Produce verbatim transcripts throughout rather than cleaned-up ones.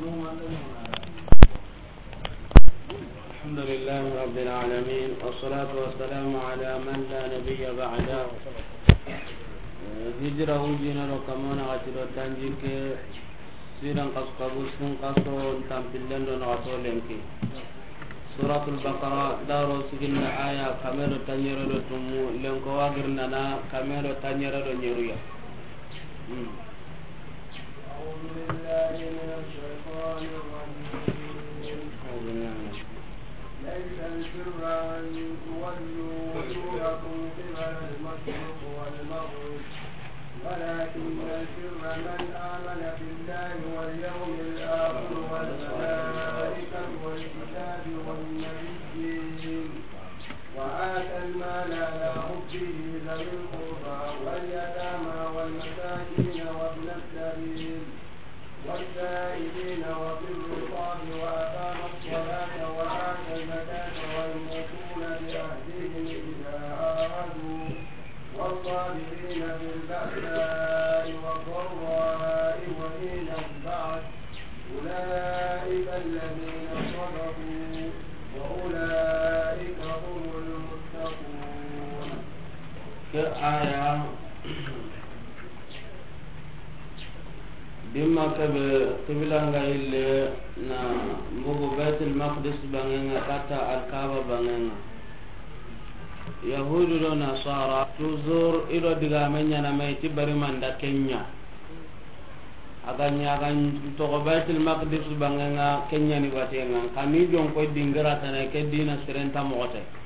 الحمد لله رب العالمين، والصلاة والسلام على من لا نبي بعده. Hijira wujina do kamana gati do tanjike, siran kas kabu sun kaso tampillen do na to lenki. Suratul Baqara, daro siginna aya kame do tanyere do tumu, lenko wagirna na kame do tanyere do nyeruya. Hmm. أعوذ بالله من الشيطان الرجيم. أعوذ بالله من الشيطان. ليس البر أن تولوا وجوهكم قبل المشرق والمغرب، ولكن البر من آمن بالله واليوم الآخر والملائكة والكتاب والنبيين، وآتى المال على حبه ذوي القربى واليتامى والمساكين وابن السبيل والسائلين وفي الرقاب وأقام الصلاة وآتى الزكاة والموفون بعهدهم إذا عاهدوا والصابرين في البأساء والضراء وحين البأس، أولئك الذين صدقوا وأولئك هم المتقون. Ke aya, dimma kebe kiblanga ille na mbugu Baitul Maqdis bangenga kata Al-Kaaba bangenga. Yahudu do Nasara, toujours i do digame ɲana me ti bari manda kenya. A ga ɲa, a ga toxo Baitul Maqdis bangenga, kenya ni batenga. Kani jonko dingira tana ke dina sirenta moxote.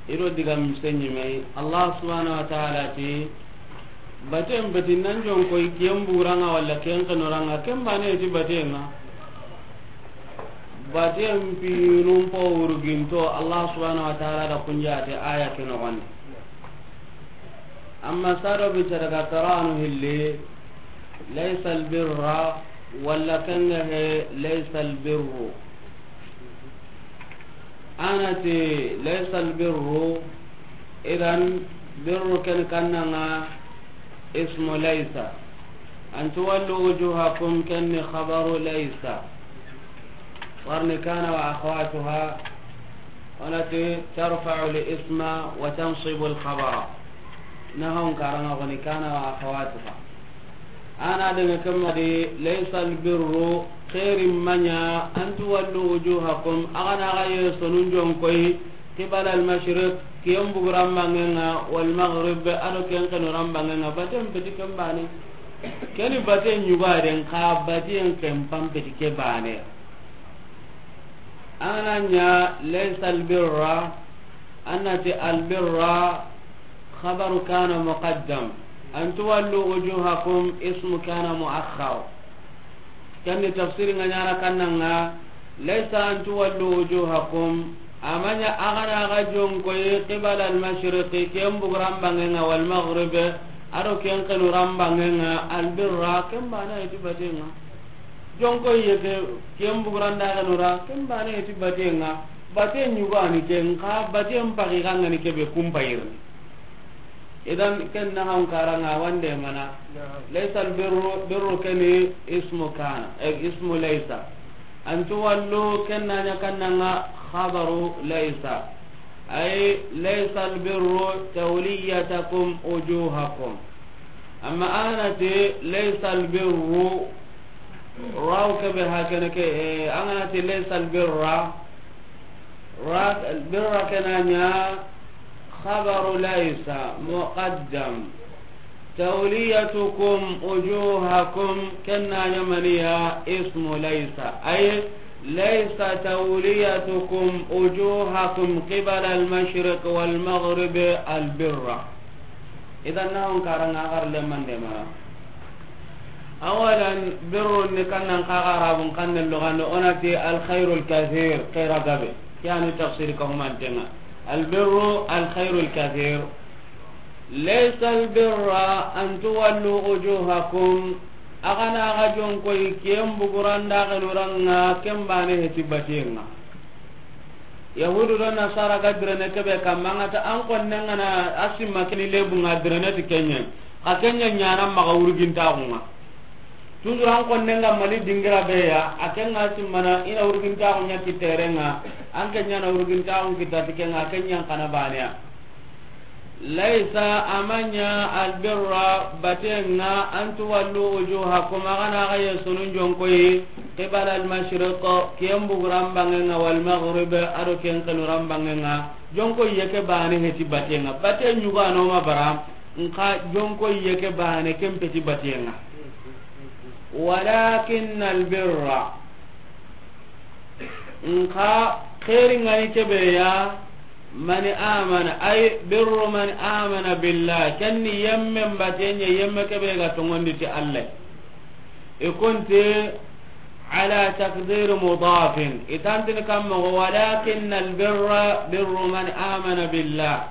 I do diga misenyi me, Allah subhanahu wa ta'ala ti, baten beti nan jonko kiyen buranga wala kiyen kanoranga, ken bane ti batenga. Baten pinun po wurginto, Allah subhanahu wa ta'ala da kunjate aya ke noxondi. Amma sado bi taraga taranu hilli, laysa albirra, wala kanga he, laysa albirru. Anati laysa albirru, idan birru ken kannanga ismu laysa. An tuwallu wujuhakum ken ni khabaru laysa. Warni kana wa akhawatuha, onati tarfa'u al-isma wa tansibu al-khabara. Nahawun karanga koni kana wa akhawatuha. Ana daga kamma di, laysa albirru, xeeri maɲa, an tuwallu wujuhakum, a ga na ga ye sonun jonkoy, qibala al-mashriq, kiyen buguran bangenga, wal maghrib, a do ken kanu ran bangenga, baten peti ken bane. Keni baten ɲuga den, ka baten ken pam peti ke bane. An ga na ɲa laysa albirra, an na ti albirra khabaru kana muqaddam. An tuwallu wujuhakum ismu kana muakhkhar. Ken ni tafsiri nga ɲana kannanga, laysa an tuwallu wujuhakum, a maɲa a ga na ga jonkoy qibala al-mashriqi, ken buguran bangenga, wal maghrib, a do ken kanu ran bangenga, albirra, ken bane ti batenga. Jonko ye ke, ken buguran da kanu ra, ken bane ti batenga. Baten ɲuga ni ken, ka baten pagi kanga ni kebe kumpayirni. Idan ken na han karanga wande mana. Naam. Laysa albirru, birru keni ismu kana, eh, ismu laysa. An tuwallu ken na ɲa kannanga khabaru laysa. Ay laysa albirru tawliyatakum wujuhakum. Amma anati laysa albirru, raw kebe hakene ke, eh, anganati laysa albirra, ra-, birra ken na ɲa khabaru laysa muqaddam. Tawliyatukum wujuhakum ken na ɲa maniya ismu laysa. Ay laysa tawliyatukum wujuhakum qibala al-mashriq wal maghrib albirra. Idan na on karanga agar lemande mana. Awalan, birrun ni kannan kaga Arabun kannen lugande, onati alkhairul kathir, khaira gabe. Kiyani tafsir ka humantenga. Albirru alkhairul kathir. Laysa albirra an tuwallu wujuhakum. Agana aga jonkoy ken buguranda genuranga ken bane heti batenga. Yahudu do Nasara ga direne kebe kamma, an ga ta an konne ngana a simma kini lebu nga direne ti kenye. Xa kenye nyana maxa wurgintaxunga. Toujours an konnen ga mani dingira be ya, a ken ŋa simmana i na wurgintaxu ɲa kitterenŋa, an ke ɲa na wurgintaxu kitta ti ken ŋa, a ken ɲa n xana baane ya. Laysa, a ma ɲa, albirra, batenŋa, an tuwallu wujuhakum, a ga na xa yesunun jonkoyi, qibala almashriq, kiyen buguran bangenŋa, walmaghrib, a do ken xenuran bangenŋa, jonkoyi ye ke baane heti batenŋa, bate ɲugano ma bara, nxa jonkoyi ye ke baane ken peti batenŋa. Walakin albirra, nxa xeeri ŋa ni kebe ya, mani amana, ay birru mani amana billah, ken ni yemmen batenɲa, yemme kebe ga tongondi ti Allah. I kunti ala takdir mudafin, i tantini kammoxo, walakin albirra birru mani amana billah.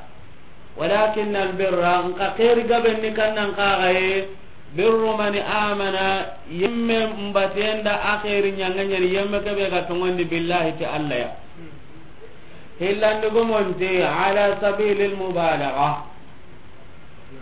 Walakin albirra, nxa xeeri gaben ni kannan kaxaye, birru mani amana, yemme mbatenda a xeeri ɲangeɲani, yemme kebe ga tongondi billahi ti Allah ya. Hillandi gumonte, ala sabili almubalaga.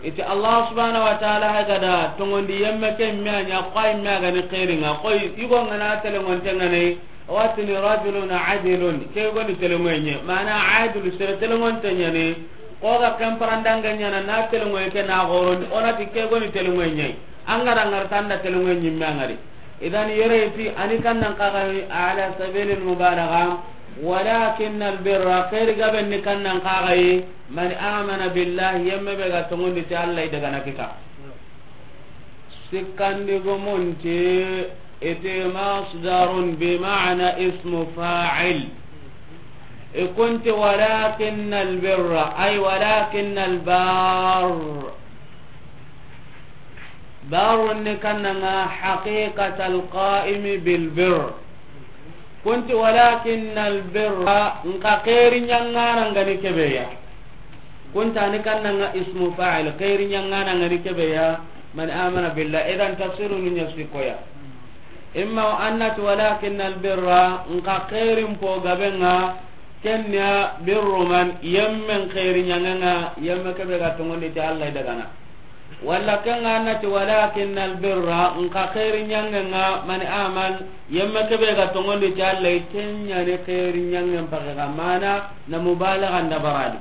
Iti Allah subhanahu wa ta'ala hay gada tongondi yemme ke me a ɲa, koy me a gani xeeri ŋa, koy yugo ŋana telengonte ŋane, watini rajulun adilun, ke goni telengoye ɲe, mana adilu sere telengonte ɲani, ko ga ken parandange ɲana na telengoye ke na gorondi, onati ke goni telengoye ɲe, an gara ngar tanda telengoye ɲimme a ŋari. Idan yere ti ani kannan kaxayi ala sabili almubalaga, walakin albirra, xeeri gaben ni kannan kaxayi, man amana billahi, yemme be ga tongondi ti Allah i daga na kita. Sikkandi gumunti, iti masdarun bi ma'na ismu fa'il. I kunti walakin albirra, ay walakin albar. Barun ni kannanga haqiqatal qa'imi bil birr. Kunti walakin al birra, nka xeeri ɲaŋana ngani kebeya. Kunta ni kannanga ismu fa'il, xeeri ɲaŋana ngani kebeya, man amana billah. Idan tafsiru ni ɲa sikoya. Imma wa annati walakin al birra, nka xeerin po gabenga, kenya birru man, yemmen xeeri ɲaŋanga, yemme kebe ga tongondi ti Allah dagana. Walla ken ga na ti, walakin al birra, nka xeeri ɲaŋe nga, man aman, yemme kebe ga tongondi ti Allah, ken ɲa ni xeeri ɲaŋen pake ga, mana na mubalaga nda baradi.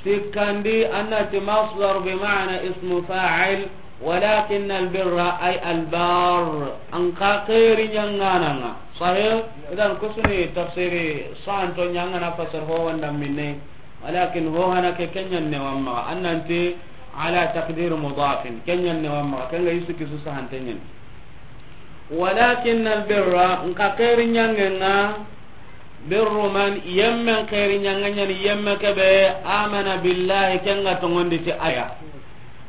Sikkandi, a na ti masdar bi ma'na ismu fa'il, walakin al birra ay al bar, nka xeeri ɲaŋana nga. Sahih? Idan kusuni tafsiri santo ɲaŋana fasar ho wanda minne. Walakin ho hana ke, ken ɲa ni ne wamma, a na ti ala taqdir mudafin, ken ɲa ni ne wamma, ken ga yusu kisu sahante ɲa ni. Walakin al birra, nka xeeri ɲaŋe nga, birru man, yemmen xeeri ɲaŋe ɲa ni, yemme kebe, amana billahi, ken ga tongondi ti aya.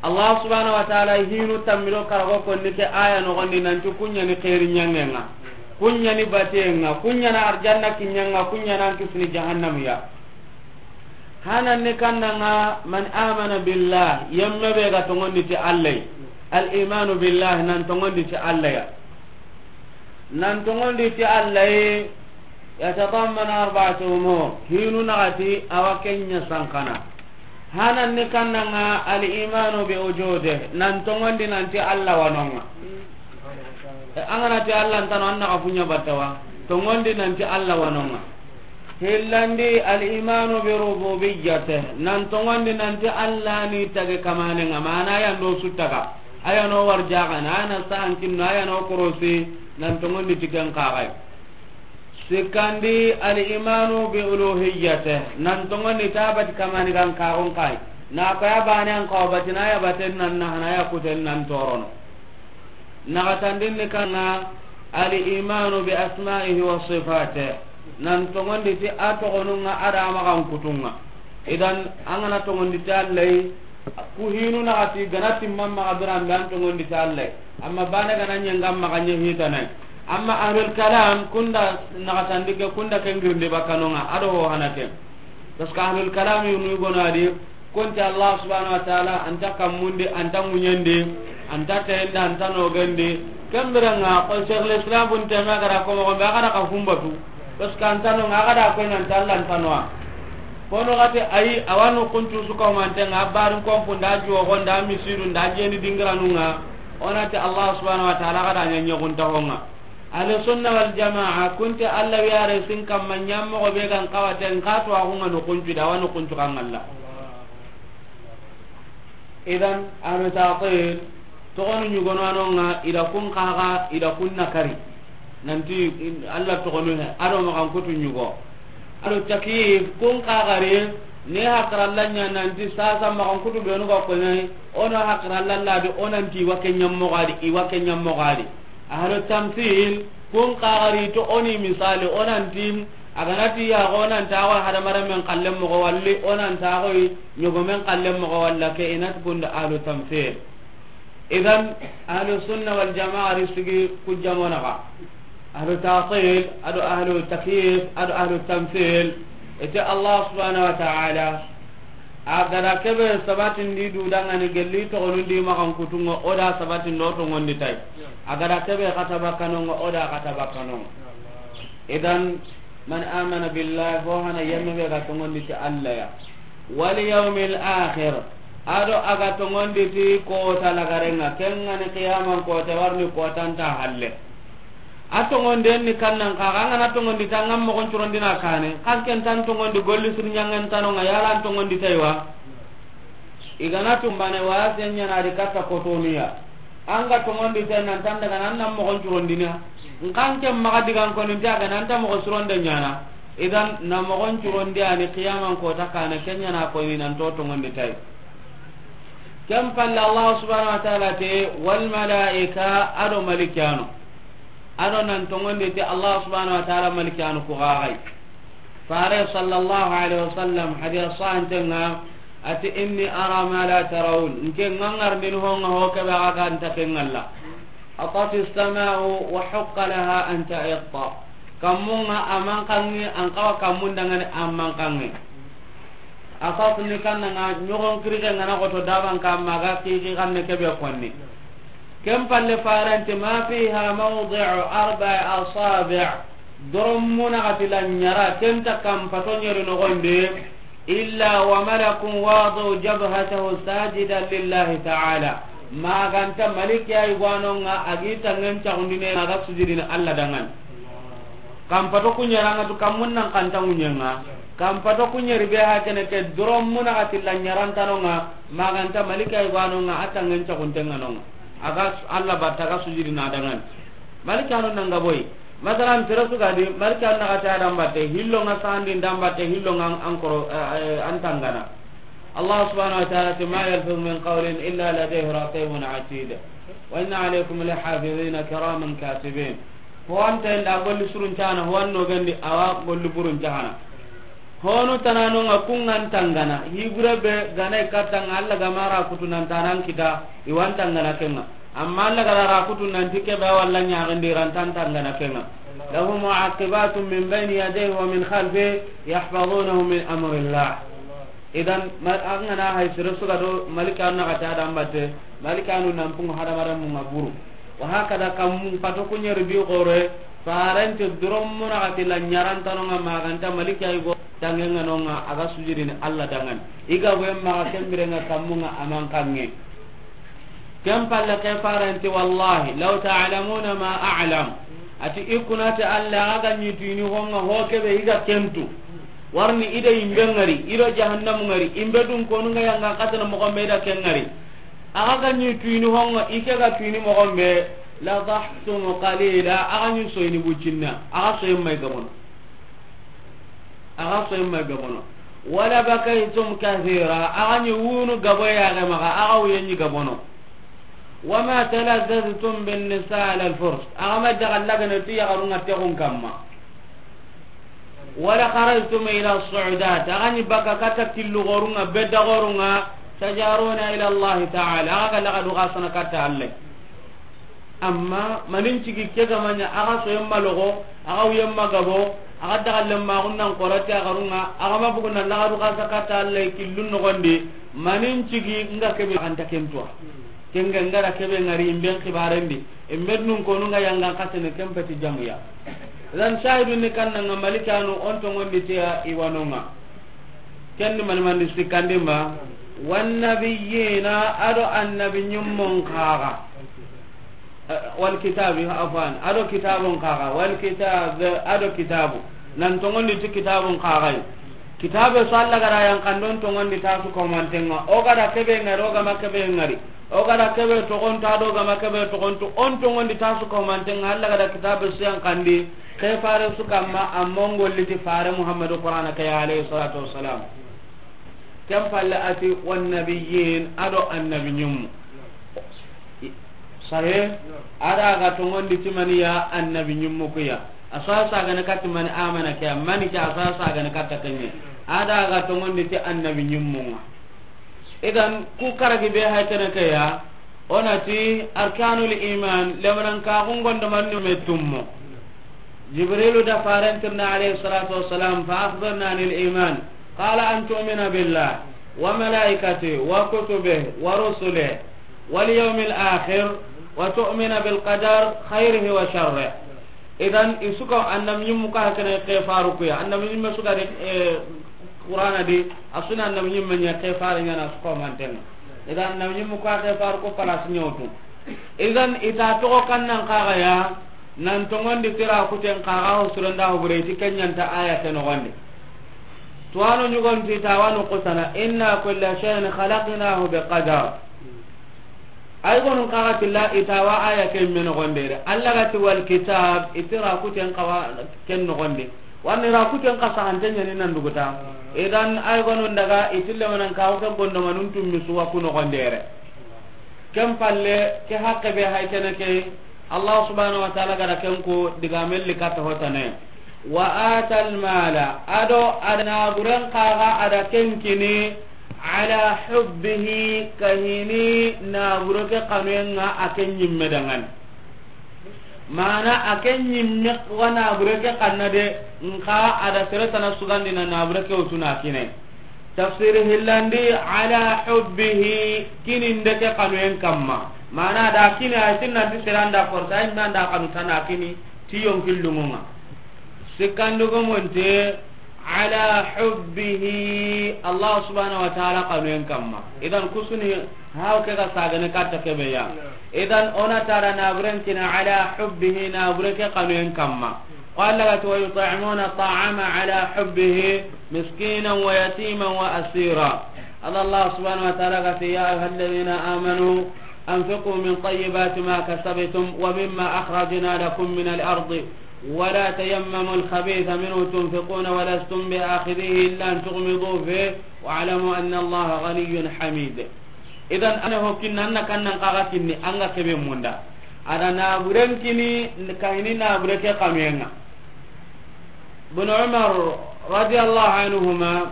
Allah subhanahu wa ta'ala hinu tammi do karago konni ke aya nogondi nanti kun ɲa ni xeeri ɲaŋe nga, kun ɲa ni bate nga, kun ɲa na arjanna kiɲa nga, kun ɲa na kisini jahannam ya. Hanan ni kannanga man amana billah, yemme be ga tongondi ti Allah. Al imanu billah, nan tongondi ti Allah ya. Nan tongondi ti Allah, yatadamman arba'ata umur. Hinu naxati awa ken ɲa sankana. Hanan ni kannanga al imanu bi wujudih, nan tongondi nanti Allah wanonga. E, an ga na ti Allah ntano, an na ka funya battawa. Tongondi nanti Allah wanonga. Hillandi al imanu bi rububiyyatih, nan tongondi nanti Allah ni tage kamanenga, mana aya ndo su taga, aya no warjaxana, aya na sahan kinno, aya no korosi, nan tongondi ti ken kaxay. Sikkandi, al imanu bi uluhiyyatih, nan tongondi tabati kamani gan kaxon kay. Na ko ya bane an ko batina ya baten nan na hana ya kuten nan torono. Naxatandin ni kannanga, al imanu bi asma'ihi wa sifatih, nan tongondi ti a togonunga, a da maxan kutunga. Idan an ga na tongondi ti Allah, ku hinu naxati ga na timma maxa biran be an tongondi ti Allah. Amma bane ga na ɲenga maxa ɲe hitana. Amma ahlul kalam kunda naxatandi ke, kunda ken girndi bakanonga, a do ho hana ken. Parce que ahlul kalam yunu gonadi, kunti Allah subhanahu wa ta'ala anta kammundi, anta ŋuɲendi, anta teyende, anta nogendi. Kembiranga ko Cheikh al-Islam Ibn Taymiyyah gara ko mo be gara ka humbatu. Parce que anta no nga gara ko nan talla anta no. Kono gati ayi, awanu kuntu su ko mantenga, barin ko funda, juwo gonda, misiru nda, jeni dingiranunga. O na ti Allah subhanahu wa ta'ala ga da ɲa ɲoguntaxo ŋa. Ahlu sunna wal jamaa, kun ti Allah wiyare sin kamma ɲammoxo be ga n xawa ten, xa to a xunga no kuncu da, wa no kuncu kan Allah. Idan, ahlu ta'til, toxonu ɲugono a no ŋa, i da kun xaxa, i da kun nakari. Nanti, Allah toxonu he, a do maxan kutu ɲugo. A do takyif, kun xaxari, ne haqiralla ɲa nanti sasa maxan kutu benu ga koɲai, o na haqiralla la di, o nanti i wa ke ɲammoxo a di, i wa ke ɲammoxo a di. Ahlu tamthil, kun xaxari to o ni misali, o nanti, a ga na ti ya xo, o nanta xo hadamaren men xallen moxo, walli o nanta xo ɲogomen xallen moxo, walla ke i na ti kun da ahlu tamthil. Idan, ahlu sunna wal jamaa ri sigi ku jamona ga. Ahlu ta'til, a do ahlu takyif, a do ahlu tamthil. I ti Allah subhanahu wa ta'ala, a ga da kebe sabatindi du dangani gelli toxonundi maxan kutu ŋa, o da sabatindi o tongondi tay. A ga da kebe xata bakkano ŋa, o da xata bakkano ŋa. Idan, man amana billahi, ho hana yemme be ga tongondi ti Allah ya. Wal yawmil akhir, a do a ga tongondi ti kota lagare ŋa, ken ŋa ni qiyaman kota, warni kota nta halle. A tongonden ni kannan xa, xa an ga na tongondi ta, an ga moxon curondina kane, xa ken tan tongondi golli sir ɲangen tano ŋa, yala an tongondi taywa. I ga na tumbane wa sen ɲana di katta kotoniya. An ga tongondi te nan tan daga nan, nan moxon curondina. Nkan ke maxa digan koni nta ga nan ta moxo suronde ɲana. Idan na moxon curondi ani qiyaman kota kane, ken ɲana ko ni nan to tongondi tay. Ken palle Allah subhanahu wa ta'ala te, wal malaika, a do malikanu. A do nan tongondi te Allah subhanahu wa ta'ala malikanu ku gagai. Fare sallallahu alaihi wasallam, hadith sahantenga, ati, "Inni ara ma la tarawun." Nke ngangar din honga ho kebe aga nta ke ngalla. Atati sama'u wa haqqa laha an ta'itta. Kamunga amankangi, an kawa kamun dangane amankangi. Asas ni kannanga, ɲogon kirike ngana goto daban kamma ga kiki kanne kebe konni. Ken palle farenti, "Ma fiha mawdi'u arba'i asabi'." Doron muna gati la ɲara, ken ta kam pato ɲeri nogondi, "Illa wa malakun wadi'u jabhatahu sajidan lillahi ta'ala." Maganta maliki ay gwanonga agi tangen cagundine maga sujudini Allah dangan. Kampato kuɲeranga tu kammun nan kanta ŋuɲenga. Kampato kuɲeri be ha kene ke doron muna ga tilla ɲarantanonga, maganta malika ibanonga, a tangen caguntenganonga. Aga s-, Allah batta ga sujudi na dangan. Malika no nanga boy. Masalan, tere su ga di, malika na ga ta dambatte, hillonga sandi dambatte, hillonga an-, ankoro, eh, eh, antangana. Allah subhanahu wa ta'ala ti, "Ma yalfizu min qawlin illa ladayhi raqibun atid. Wa inna alaykum lahafizina kiraman katibin." Ho anta inda golli surun cana, ho anno gandi awa golli burun cana. Honu tanano nga kungan tangana, hibure be ganai katanga Allah gamara kutunan tanan kita, iwan tangana kenga. Amma Allah gara ra kutunan tike be walla nya gandi rantan tangana kenga. Lahu mu'aqibatun min bayni yadayhi wa min khalfihi yahfazunahu min amrillah. Idan, ma-, an gana hay sere suga do, malika na ga ta dambatte, malika nu nan pungu hadamaren mun ga buru. Wa hakada kam mun pato kuɲeri bi gore, farante doron muna ga tilla ɲarantanonga maganta malika igo tangenganonga aga sujudini Allah dangan. Iga boyen maga kembirenga kammunga aman kange. Ken palle ke farenti, "Wallahi, law ta'lamuna ma a'lam." Ati, "I kunati Allah, aga ga ɲi tuini honga ho kebe iga kentu. Warni ida imbe ngari, ido jahannamu ngari, imbe dun konu nga yanga katana mo gombe ida ken ngari. Aga ga ɲi tuini honga, ike ga tuini mo gombe, la dahtum qalila, aga ɲi soyini bucinna, aga soyin mai gabono." Aga soyin ma gabono. "Wala bakaytum kathira." Aga ɲi wunu gabo ya ga maga, aga wuye ɲi gabono. "Wa ma talazzaztum bin nisa ala al furs." Aga ma daga lagana ti ya garunga tegun kamma. "Wala kharajtum ila su'udat." Aga ɲi baka kata killu gorunga, bedda gorunga, tajaruna ila Allah ta'ala. Aga laga duga sana kata Allah. Amma manin cigi ke ga manya, aga soyen ma logo, aga wuyen ma gabo, aga dagallen ma gunnan korati a garunga, aga ma bugu nan lagadu ga sakata Allah killun nogondi, manin cigi nga kebe anta kentuwa. Kenga nga da kebe ngari imben kibarendi, imben nun konu nga yangan katene kempeti jamuya. Lan shahidun ni kanna nga malikanu onto ngondi tiya iwanonga. Kendi manimandi sikkandi ma, "Wan nabiyina," ado annabi ɲummon kaga. Wal kitabi, afwan, a do kitabun kaga, wal kitab, a do kitabu. Nan tongondi ti kitabun kaga yi. Kitabe su Alla ga da yan kandon tongondi ta su ko mantenga. O ga da kebe ngari, o ga ma kebe ngari. O ga da kebe togonto, a do ga ma kebe togonto, on tongondi ta su ko mantenga. Alla ga da kitabe su yan kandi, ke fare su kamma, amma ngolli ti fare Muhammadu Qur'ana ke ya, alayhi salatu wassalam. Ken palle a ti, "Wan nabiyyin", a do annabi ñimmu. Sahe, a da ga tongondi ti mani ya, annabi ñimmu ku ya. A sa sagane katti mani, amana ke ya, mani ke a sa sagane katta kenye. A da ga tongondi ti annabi ñimmu nga. Idan, ku karagi be hay kene ke ya, o na ti arkanul iman, lemanan ka gungon do mannu me tummo. Jibrilu da faren tirna alayhi salatu wassalam, "Fa akhbirna anil iman." Qala, "An tu'mina billah wa malaikatihi wa kutubihi wa rusulihi wal yawmil akhir wa tu'mina bil qadar khayrihi wa sharrihi." Idan, i su ko annabi ñimmu ka hakene ke faru ku ya. Annabi ñimme su ga di, eh, Qur'ana di, a su na annabi ñimme ña ke faru ña na su ko mantenga. Idan, annabi ñimmu ka ke faru ku pala su ñawtu. Idan, i ta togo kannan kaga ya, nan tongondi tira kuten kaga ho suronda ho bure ti kenyanta aya ke nogondi. Tuwano ñugon ti tawano kusana, "Inna kulla shay'in khalaqnahu bi qadar." Ay gonun kaga tilla i tawa aya ke me nogonde de. Alla ga ti wal kitab, i tira kuten kawa ken nogonde. Wani ra kuten ka sahante ñani nan duguta. Idan ay gonun daga i tille manan kawa ke gondo manun tummi suwa ku nogonde de. Ken palle, ke haqqe be hay kene ke, Allah subhanahu wa ta'ala ga da ken ko diga melli katta hotane. Wa atal mala, a do a da naburen kaga a da ken kini, ala hubbihi, kahini nabure ke kanuyen nga a ken ñimme dangani. Mana a ken ñimme wa nabure ke kanna de, nka a da sere tana sugandi na nabure ke wutuna kine. Tafsiri hillandi, ala hubbihi, kininde ke kanuyen kamma. Mana da kini a tin nanti sere anda forsa, inna anda kanu tana kini, ti yonkillungunga. Sikkandugu munte, ala hubbihi, Allah subhanahu wa ta'ala kanuyen kamma. Idan kusuni, haw ke ga sagane katta kebe ya. Idan ona tara naburen kina ala hubbihi, nabure ke kanuyen kamma. Qala ga ti, "Wa yut'imuna ta'ama ala hubbihi miskinan wa yatiman wa asira." Allah, Allah subhanahu wa ta'ala ga ti, "Ya ayyuhalladhina amanu anfiqu min tayyibati ma kasabtum wa mimma akhrajna lakum min al-ardi wa la tayammamu al-khabitha minhu tunfiquna wa lastum bi akhidhihi illa an tughmidu fihi wa'lamu anna Allaha ghaniyyun hamid." Idan, ana ho kinna, anna kannan kaga kinni, anga kebe munda. A da naburen kini, kahini nabure ke kanuyen nga. Ibn Umar radiyallahu anhuma,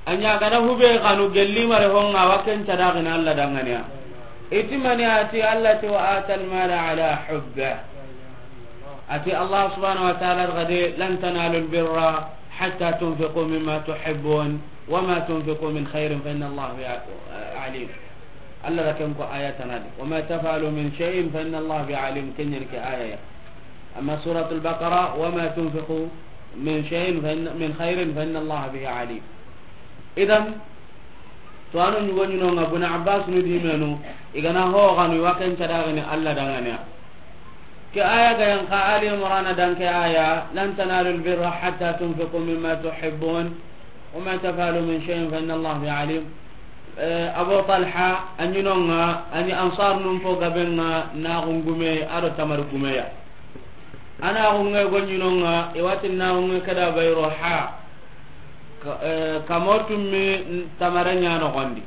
a ña gana hube kanu gelli mare honga wa ken cadagina Allah danganiya. Iti mani a ti Allah ti wa atal mala ala hubbe. A ti Allah subhanahu wa ta'ala gade, "Lan tanalu al-birra hatta tunfiqu mimma tuhibbun, wa ma tunfiqu min khairin fa inna Allah bihi alim." Allah da ken ko aya tanadi, "Wa ma taf'alu min shay'in fa inna Allah bihi alim." Ken ñen ke aya ya. Amma Suratul Baqara, "Wa ma tunfiqu min shay'in fa inna, min khairin fa inna Allah bihi alim." Idan, to anu ñugo ñinonga Ibn Abbas nu di menu, i gana ho ganu wa ken cadagini Allah danganiya. Ke aya ga yan ka Ali Imran dan ke aya, "Lan tanalu al-birra hatta tunfiqu mimma tuhibbun, wa ma taf'alu min shay'in fa inna Allah bihi alim." Eh, Abu Talha, a ñinonga, a ñi Ansar num po gabenga, na gungume, a do tamar gumeya. Ana gunge go ñinonga, i wati na gunge kada Bayruha. Ka, eh, kamo tummi tamare ña nogondi.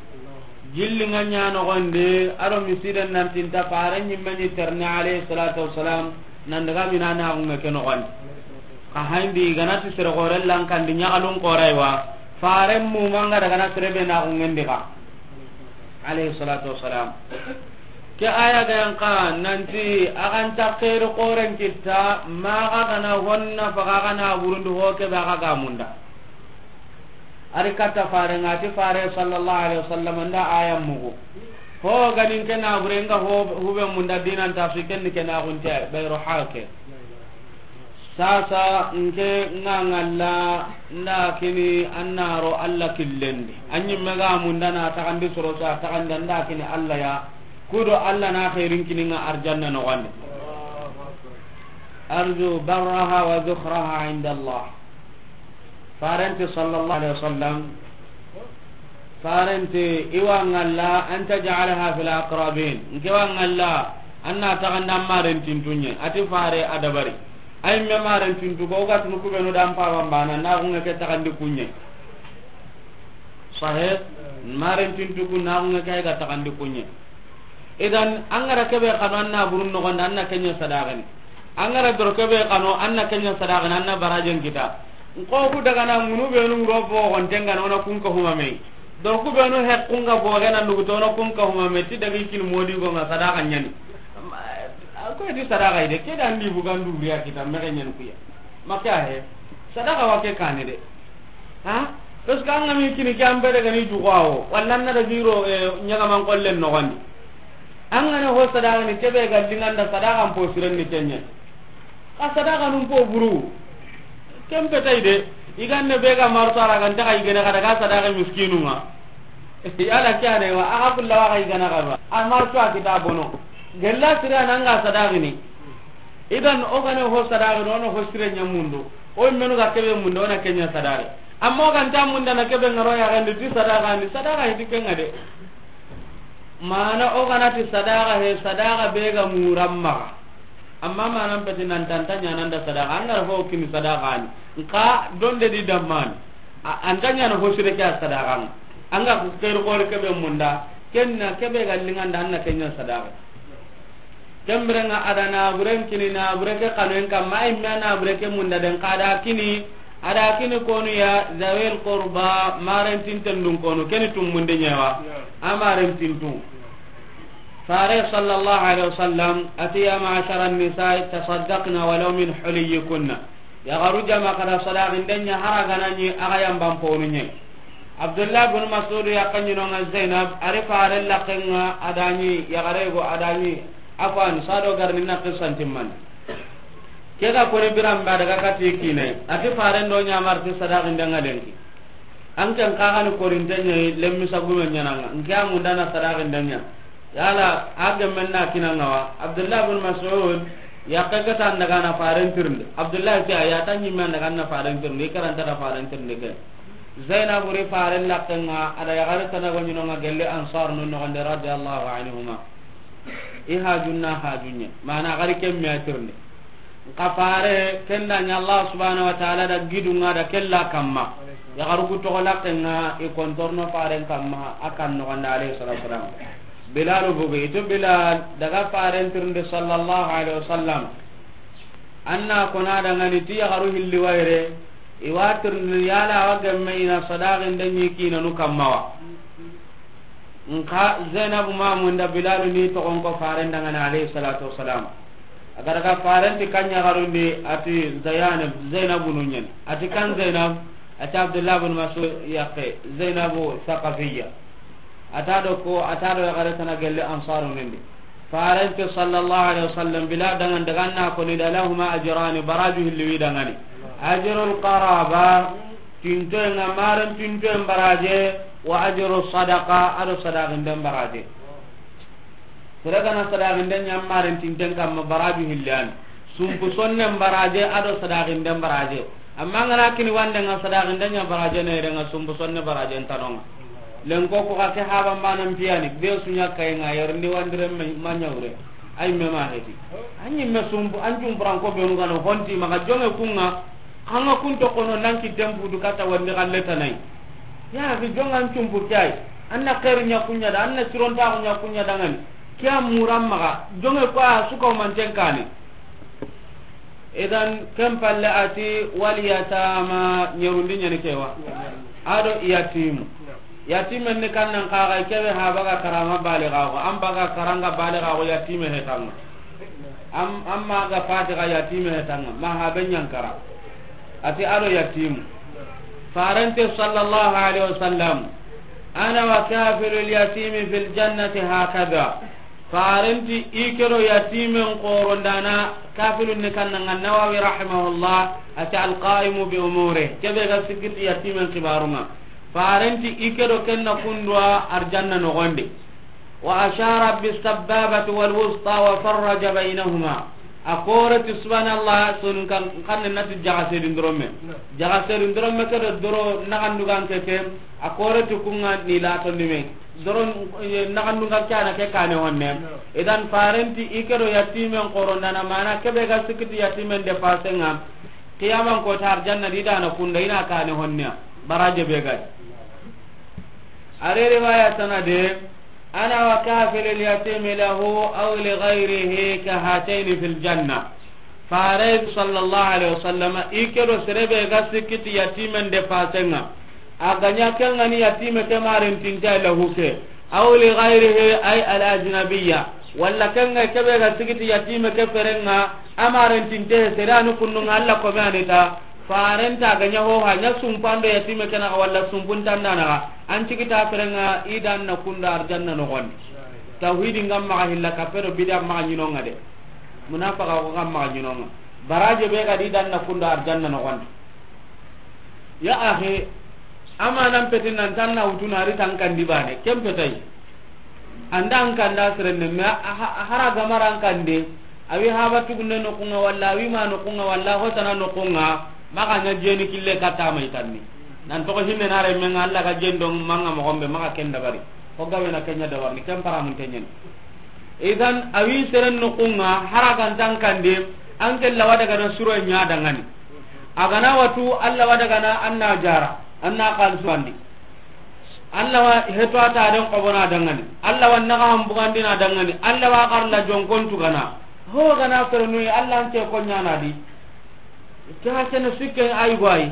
Jilli nga ña nogondi, a do misiden nan tinta fare ñimme ñi terni alayhi salatu wassalam, nan daga mina na gunge ke nogondi. Ka hayndi ganati sere gore lankandi ñagalun koraywa, fare mu manga daga na sere be na gungendi ka. Alayhi salatu wassalam. Ke aya ga yan ka nanti a ganta keri koren kitta, maga gana honna faga gana burundi ho ke ba ga munda. Ari katta fare nga ti fare sallallahu alaihi wasallam nda aya mugu. Ho ganin ke na bure nga ho hube munda dinan ta su ken ke na gunte Bayruha ke. Sasa nke nga ngalla nda kini annaro Allah killendi. Anyi mega munda na tagandi soro sa tagandi nda kini Allah ya. Kudo Allah na khairin kini nga arjanna no wande. أرجو برها وذخرها عند الله. Farenti sallallahu alaihi wasallam, farenti iwa ŋalla an taj'alaha fil aqrabin. Nke wa ŋalla an na taxandi an marentintunye. Ati fare a dabari. Ay me marentintu ko ga tunu kubenu dan pa bambana na gunge ke taxandi kunye. Sahih. Marentintu ku na gunge ke ga taxandi kunye. Idan an ga ra kebe xanu an na burun noxondi an na kenya sadaqani. An ga ra doro kebe xanu an na kenya sadaqani an na barajen kita. Nko ku daga na munu benu ro bo gon tenga na ona kun ka huma me. Doro ku benu he kun ga bo ga na nugu to ona kun ka huma me ti dagi kin modi go nga sadaqa nyani. Ko di sadaqa ide ke dan di bugan du riya kita me ga nyan kuya. Maka he. Sadaqa wa ke kane de. Ha? Parce que an ga mi kini ke an bere ga ni jugawo. Walla na da biro e nyaga man kollen noxondi. An ga na ho sadaqani kebe ga dinganda sadaqan po siren ni kenya. Ka sadaqanun po buru. Ken petay de. Iganne be ga marto ara ga nta ga igene ga daga sadaqa miskinunga. Yala ke ane wa aga kulla wa ga igana ga ba. A marto a kita bono. Gella sira nan ga sadaqini. Idan o gane ho sadaqi no, no ho sire nya mundu. O menu ga kebe mundu ona kenya sadaqi. Amma o ganta munda na kebe ngaro ya gandi ti sadaqani, sadaqa hiti kenga de. Mana o gana ti sadaqa he, sadaqa be ga muramma. Amma mana peti nan tanta nya nan da sadaqa, an ga ho kini sadaqani. Nka donde di damman. A, an tanya na ho sire ke sadaqan. An ga ku kere kore kebe munda. Kenna kebe ga linganda an na kenya sadaqa. Kembirenga a da naburen kini nabure ke xanoyen kamma, a yimme a nabure ke munda den xa da kini, a da kini konu ya zawil qurba, marentinten dun konu, keni tummunde ñewa, a marentintu. Fare sallallahu alaihi wasallam ati, ya ma'ashara an-nisa'i tasaddaqna walaw min huliyyikunna. Yaxaru jama xa da sadaqinde ña, hara gana ñi axa yamban ponu ñe. Abdullah bin Mas'ud yaqqe ñinonga Zainab, ari faren laqqenga, a da ñi yaxare go, a da ñi, afwan, sado garni na qissan timman. Ke ga koni biran ba daga kati kine, ati faren do ñamarti sadaqinde nga lenki. An ken kaxani korinte ñayi, lemmi sagume ñananga, nke a mundana sadaqinde ña. Yala a gemmen na kinanga wa? Abdullah bin Mas'ud, yaqqe ke tan daga na faren tirindi. Abdullah ke a ya ta ñimme daga na faren tirindi, i karanta da faren tirindi ke. Zainab ri faren laqqenga, a da yaxare tana go ñinonga gelle Ansar nun noxonde radiyallahu anhuma. I hajunna hajunñe. Mana xari kemme a tirindi. Nka fare, kenda ña Allah subhanahu wa ta'ala da gidunga da kella kamma. Yaxaru ku toxo laqqenga, i kontorno faren kamma, a kan noxonde alayhi salatu wasalam. Bilal bogu, ito Bilal, daga faren tirindi sallallahu alaihi wasallam. Anna kona dangani ti yaxaru hilli wayre, i wa tirindi yala awa gemme i na sadaqinde ñi kinanu kamma wa. Nka Zainabu ma munda Bilalu ni toxon ko faren dangani alayhi salatu wasalam. A ga daga faren ti kan ñaxarundi ati Zainab, Zainabu nu ñen. Ati kan Zainab, ati Abdullah bin Mas'ud yaqqe, Zainabu Thaqafiyya. Ata do ko, ata do yaxare tana gelle Ansaru nindi. Faren ti sallallahu alaihi wasallam, Bilal dangan daga na koni da lahuma ajrani, baraju hilli wi dangani. Ajrul qaraba, tintoyen ŋa, maren tintoyen baraje, wa ajru sadaqa, ado sadaqinde baraje. Sere gana sadaqinde ña maren tinten kamma baraju hilli yani. Sumpu sonnen baraje, ado sadaqinde baraje. Amma ngana kini wande nga sadaqinde ña baraje na yere nga sumpu sonne baraje ntanonga. Lenko ko ka ke haba mbanan piyani, be su ña kay nga yer ndi wandire ma ñawre. Ay me ma heti. Anyi me sumpu, an cumpuran ko be nu gano honti maga jonge kunga. Kanga kun to kono nan ki tempu du kata wande galle tanai. Ya fi jonga an cumpu kay. Anna khairu ña kunya da, anna sironta ko ña kunya dangani. Kiya muram maga jonge ko a suka manten kani. Idan ken palle ati wal yatama, ñerundi ñani kewa. Ado yatimu. Yatimen ni kannan kaga kebe ha baga karama baligago, an baga karanga baligago yatime hetanga. Am, amma ga fatiga yatime hetanga, ma ha ben ñankara. Ati ado yatimu. Farante sallallahu alaihi wasallam, ana wa kafilul yatimi fil jannati hakada. Farenti i kedo yatimen korondana, kafilun ni kannanga Nawawi rahimahullah, ati alqaimu bi umure, kebe ga sikiti yatimen kibarunga. Farenti i kedo kenna kundwa arjanna nogondi. Wa ashara bis sababati wal wusta wa farraja bainahuma. A kore ti subhanallah, sonun kan, kan na ti jaga sedin doromme. Jaga sedin doromme ke do doro naxandugan ke ke, a kore ti kunga ni la to ni me. Doro, eh, naxandugan kana ke kane honne. Idan farenti i ke do yatimen korondana mana ke be ga sikiti yatimen de pasenga. Qiyaman ko ta arjanna di dana kunda ina kane honne. Baraje be ga. Are riwaya sanade, أنا وكافل اليتيم له أو لغيره كهاتين في الجنة. Fare sallallahu alaihi wasallam, i ke do sere be ga sikiti yatimen de pasenga. A ganya kengani yatime ke marentinte lahu ke. أو لغيره أي الأجنبية. Walla kenga ke be ga sikiti yatime ke ferenga, a marentinte sere anu kundunga Allah ko me anita. Farenta ga ɲa ho ha ɲa sumpando yatime ke naxa walla sumpuntanda naxa. An cigita ferenga i dan na kunda arjanna noxondi. Tawhidi ngam maxa hilla kappe do bida maxa ɲinonga de. Munafaka ko ngam maxa ɲinonga. Baraje be ga di dan na kunda arjanna noxondi. Ya ahi, amanan peti nan tan na wutuna ari tan kandi bane. Ken petai. Anda an kanda sirenne, me a, a, a hara gamara an kande, awi haba tugunne nokunga walla, awi ma nokunga walla, hotana nokunga, maka nya jeni kille kata mai tanni. Nan to hinne na re menga Allah ga jendo manga mo gombe maka ken dabari. Ko gabe na kenya dabarni, ken para mun tenyen. Idan awi seren nokunga, hara gantan kande, an ke lawa daga na suro nya dangani. Agana watu Allah wa daga na anna jara, anna kal suwandi. Allah wa heto ata den kobona dangani. Allah wa naga hambugandina dangani. Allah wa karla jonkon tugana. Ho gana fernu Allah ante ko nyana di. Ta sene sikke ay goy.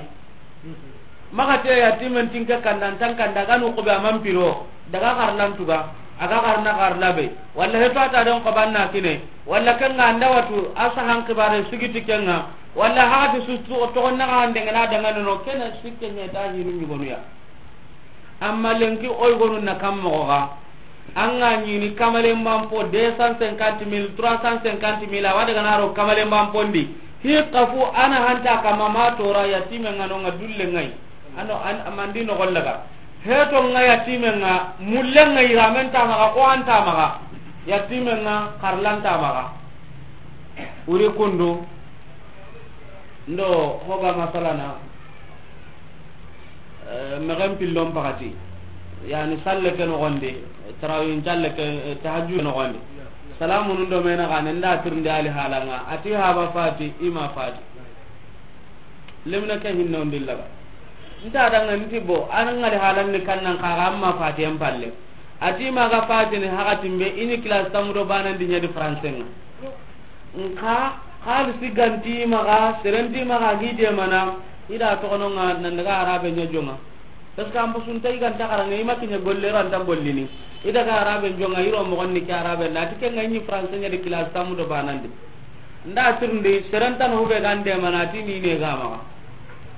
Maga te yatimen tinke kandan tan kanda ganu ko be amam piro. Daga karlan tuga. Aga karna karla be. Walla heto ata den kobanna kine. Walla kanga anda watu asa han kibare sigiti kenga. Walla hagati su to naga hande ngana dangani no kena sikke nyeta hinu nyugonu ya. Amma lenki oy gonu na kam moxo ga. An ga ɲini kamalenban po deux cent cinquante mille, trois cent cinquante mille, a wa daga na ro kamalenban pondi. Hi kafu ana hanta kama ma tora yatime nga no nga dulle ngai. Ano an, amandi no gollaga. Heto nga yatime nga, mulle nga iramen ta maga, ko anta maga. Yatime nga karlan ta maga. Uri kundu. Ndo hoga masalana. Eh, mexen pillon pakati, yani salle ke noxondi, tarawin calle ke, eh, tahajju noxondi. Salamu nun do mena xane nda tirndi ali halanga, ati haba fati, ima fati. Lemna ke hinno ndillaga. Nta danga nti bo, an ngali halan ni kannan kaga amma fati en palle. Ati maga fati ni hakatin be, ini classe tamudo banan di nyadi français nga. Nka, xalisi ganti maxa, serenti maxa, gi demana, ida toxononga, nan daga arabe ɲa jonga. Parce que an bosun tay ganta xaranga, ima kiɲa golle ro anta gollini. Ida ga arabe jonga, iro moxon ni ke arabe, nati ke nga ɲi français ɲa di classe tamu do banandi. Nda tirndi, serentano hube gan demana, ti ni ne ga maxa.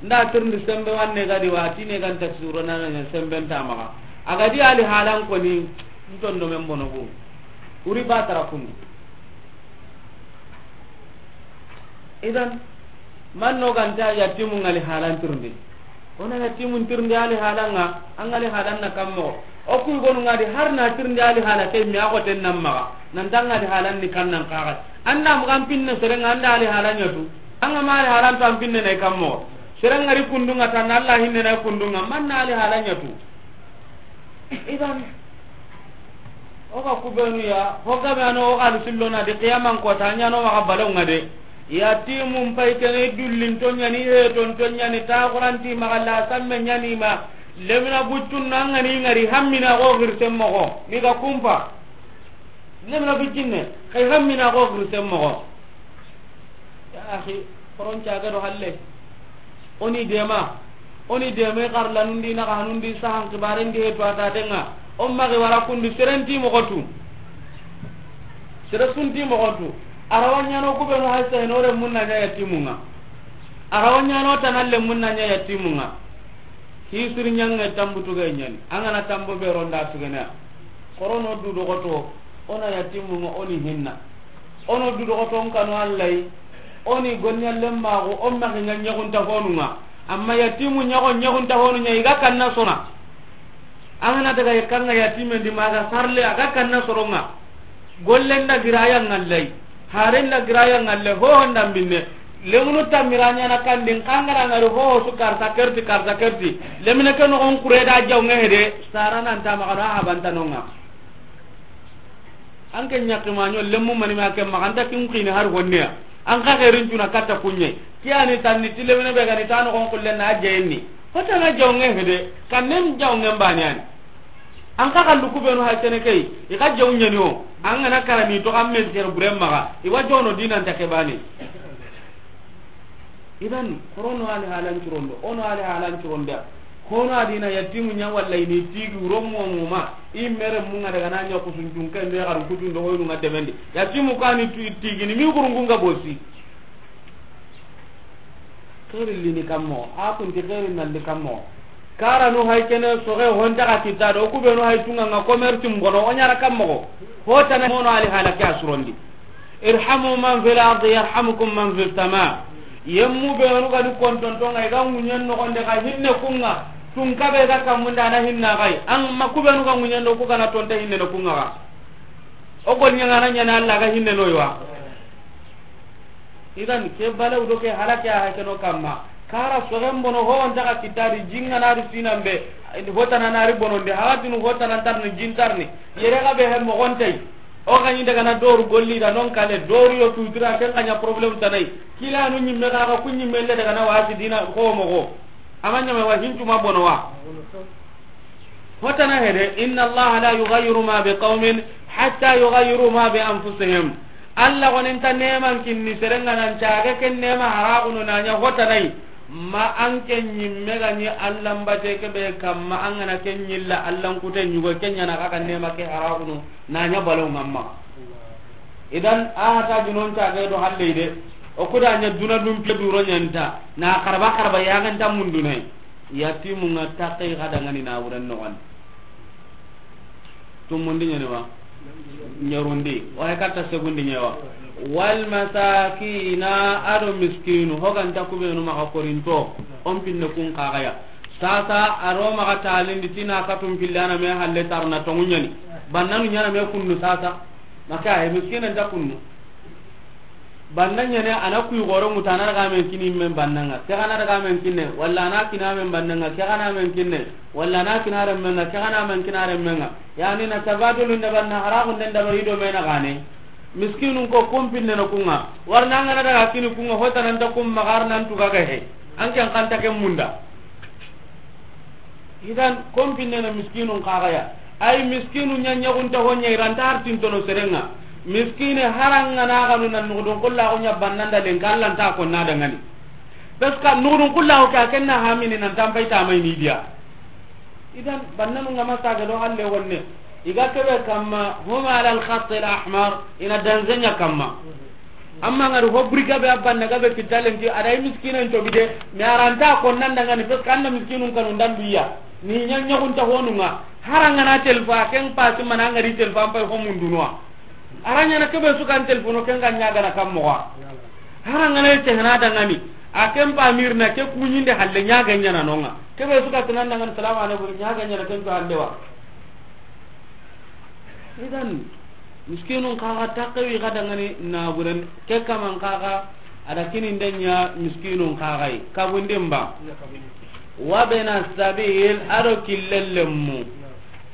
Nda tirndi sembe wanne ga di wa, ti ne gan taksuro nana ɲa sembe nta maxa. Aga di ali halan koni, ntondo men bono bu. Uri batara kundu. Idan, man no ganta yatimu ngali halan tirndi. Ona yatimu tirndi ali halanga, an ngali halan na kammo. O ku gonu ngadi har na tirndi ali hala ke mi ago ten nan maga. Nan danga ali halan ni kannan kaga. Anda mu kan pinne serenga anda ali halan yatu. Anga ma ali halan to an pinne ne kammo. Serenga ri kundunga tan Allah hinne na kundunga. Man na ali halan yatu. Idan, o ga kubenu ya, ho ga be ano o ga sillona di qiyaman ko ta ɲano maxa balonga de. Yatimun pay kene dullin to ɲani, he ton to ɲani, ta quranti maxa la samme ɲani ma. Lemina buccun nangani ngari hammina go girse moxo, ni ga kumpa. Lemina buccinne, kay hammina go girse moxo. Ya akhi, koron caga do halle. Oni dema, oni dema i xarlanundi, naxanundi, sahan xibarendi, he to atatenga. O maxi wara kundi serenti moxotu. Sere sunti moxotu. Arawa ɲano kubenu hay seheno re munna ɲa yatimunga. Arawa ɲano tanalle munna ɲa yatimunga. Hisiri ɲange tambu tuge ɲani. Angana tambo be ronda tugene. Korono du dogoto, ona yatimunga oni hinna. Ono du dogoton kanu Allahi, oni gonɲallen maxu, o maxi ɲa ɲaxunta honunga. Amma yatimu ɲaxo ɲaxunta honu ɲa, i ga kanna sona. An gana daga kanga yatimen di maga sarle, a ga kanna soronga. Gollen da giraya ngallahi. Haren da giraya ngalle ho honda binne. Lemunu tamira ɲana kandin kangara ngari ho su karta kerti, karta kerti. Lemine ke nogon kure da jaw nge hede, sara nan ta magano a habantanonga. An ke ɲakki maɲo lemu mani ma ke maganta kin kini har honneya. An ka xerin tuna katta kunɲe. Kiyani tanni ti lemine be gani ta nogon kullen na jayenni. Hotana jaw nge hede, kannen jaw nge mbani ani. An ka kallu kubenu hay kene kay, i ka jaw ɲani o. An gana karani to kan me tigere buren maxa, i wa jono dinan ta ke bani. Idan, korono ali halan curondo, ono ali halan curonda. Kono adina yatimu ɲa walla ini tigi wuro mo mo ma, i mere munga daga na ɲa kusun jun kan be garu kutun do hoynu nga demendi. Yatimu kani tu tigi ni mi gurungu nga bosi. Xeeri lini kammo, a kunti xeeri nalli kammo. Karanu hay kene soxe honta xa kitta do, kubenu hay tunga nga commerce mbono, o ɲara kammo. Hotana mono ali halake a surondi. Irhamu man fil ardi yarhamukum man fis sama. Yemmu benu ga di kontontonga, i ga ŋuɲen noxonde xa hinne kunga. Tun kabe ga kammunda na hinna xay. An ma kubenu ga ŋuɲen do ku gana tonta hinne no kunga xa. O gol ɲangana ɲana Allah ga hinne no yiwa. Idan ke balaw do ke halake a hakeno kamma. Kara soxen bono ho on taga kitari jinga nari sinambe. Hotana nari bonondi hagatinu hotana ntarni jintarni. Yere ga be he mogontay. O gani daga na doru golli da non kale doru yo tutura ken kanya problème tanay. Kila nu nyimme ga ga kunyi melle daga na wasi dina ko mogo. Amanya me wa hintu ma bono wa. Hotana hede, inna Allah la yughayyiru ma bi qawmin hatta yughayyiru ma bi anfusihim. Allah gonin ta neman kinni serenga nan caga ken nema haragunu nanya hotanai. Ma an ken nyimme ga ni Allah mbate ke be kamma an gana ken nyilla Allah kute nyugo ken nyana ka kan nema ke haragunu nanya balo ngamma. Idan a hata junon caga do halle de. O kuda nya duna dum pe duro nyanta na karba karba ya ganta mundunai. Yatimu nga takai ga dangani na wuren no wan. Tumundi ɲene wa? Ɲerundi. Wa he katta segundi ɲewa. Wal masakina, ado miskinu. Hoganta kubenu maxa korinto. On pinne kun kagaya. Sasa aro maxa talindi tina katum pillana me halle tarna tongu ɲani. Bannanu ɲana me kunnu sasa. Maka he miskina nta kunnu. Banna ɲene a na kuyi goro ŋutu a na daga men kini men bannanga ke gana daga men kinne walla a na kina men bannanga ke gana men kinne walla a na kina remmenga ke gana men kina remmenga. Yani na tabadulu nda banna haragu nda nda bari do mena gane. Miskinun ko kumpinne no kunga warna ngana daga kini kunga hota nan ta kum magar nan tuga ga he. An kan kanta ke munda. Idan kompinne na miskinun kagaya. Ay miskinu ɲa ɲagunta ho ɲa iranta hartintono serenga. Miskine haranga na ganu na nugudun kulla ho ɲa bannanda lenka Allah nta ko na dangani. Parce que nugudun kulla ho ka kenna hamini nan tampai tamai ni dia. Idan bannanu ngama saga do halle wonne. Iga kebe kamma huma ala al khatt al ahmar ina danzenya kamma. Amma ngari ho buri gabe abban na gabe kitalen ti ada miskinen to bide me aranta ko nan daga ni pes kanna miskinun kanu ndan biya ni nya nya kun ta honunga haranga na telfa ken pasi mana ngari telfa ampai ho mundunwa aranya na kebe su kan telfono ken ga nya ga na kammo wa haranga na te na daga ni a ken pa mirna ke kunyinde halle nya ga nya na nonga kebe su ka tanan daga ni salamu alaikum nya ga nya na ken to halle wa. Idan miskinun kaga takkewi ga dangani naburen ke kaman kaga ada kini ndenya miskinun kagai kabundin ba. Wa bena sabil ado killellemmu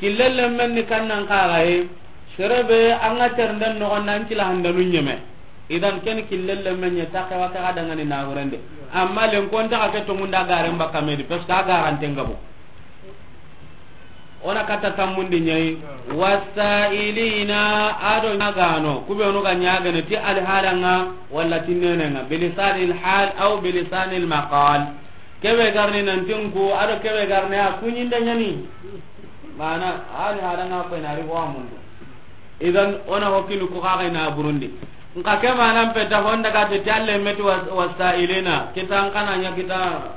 killellemmen ni kannan kagai serebe anga ternden no nan kila handanu nyeme. Idan ken killellemmen nya takkewa kaga dangani naburende amma len konta ka ke to munda garen ba kamedi parce que aga ranten gabo. Ona katta tammundi ɲayi. Wasailina ado ɲagano kubenu ga ɲagane ti alhalanga walla ti nenenga bilisanil hal aw bilisanil maqal. Kebe garni nantin ku ado kebe garni a kuɲinde ɲani. Mana alhalanga ko inari ho mundu. Idan ona hokini ku kaga ina burundi. Nka ke manan peta honda ga te ti alle meti was- wasailina kita an kana nya kita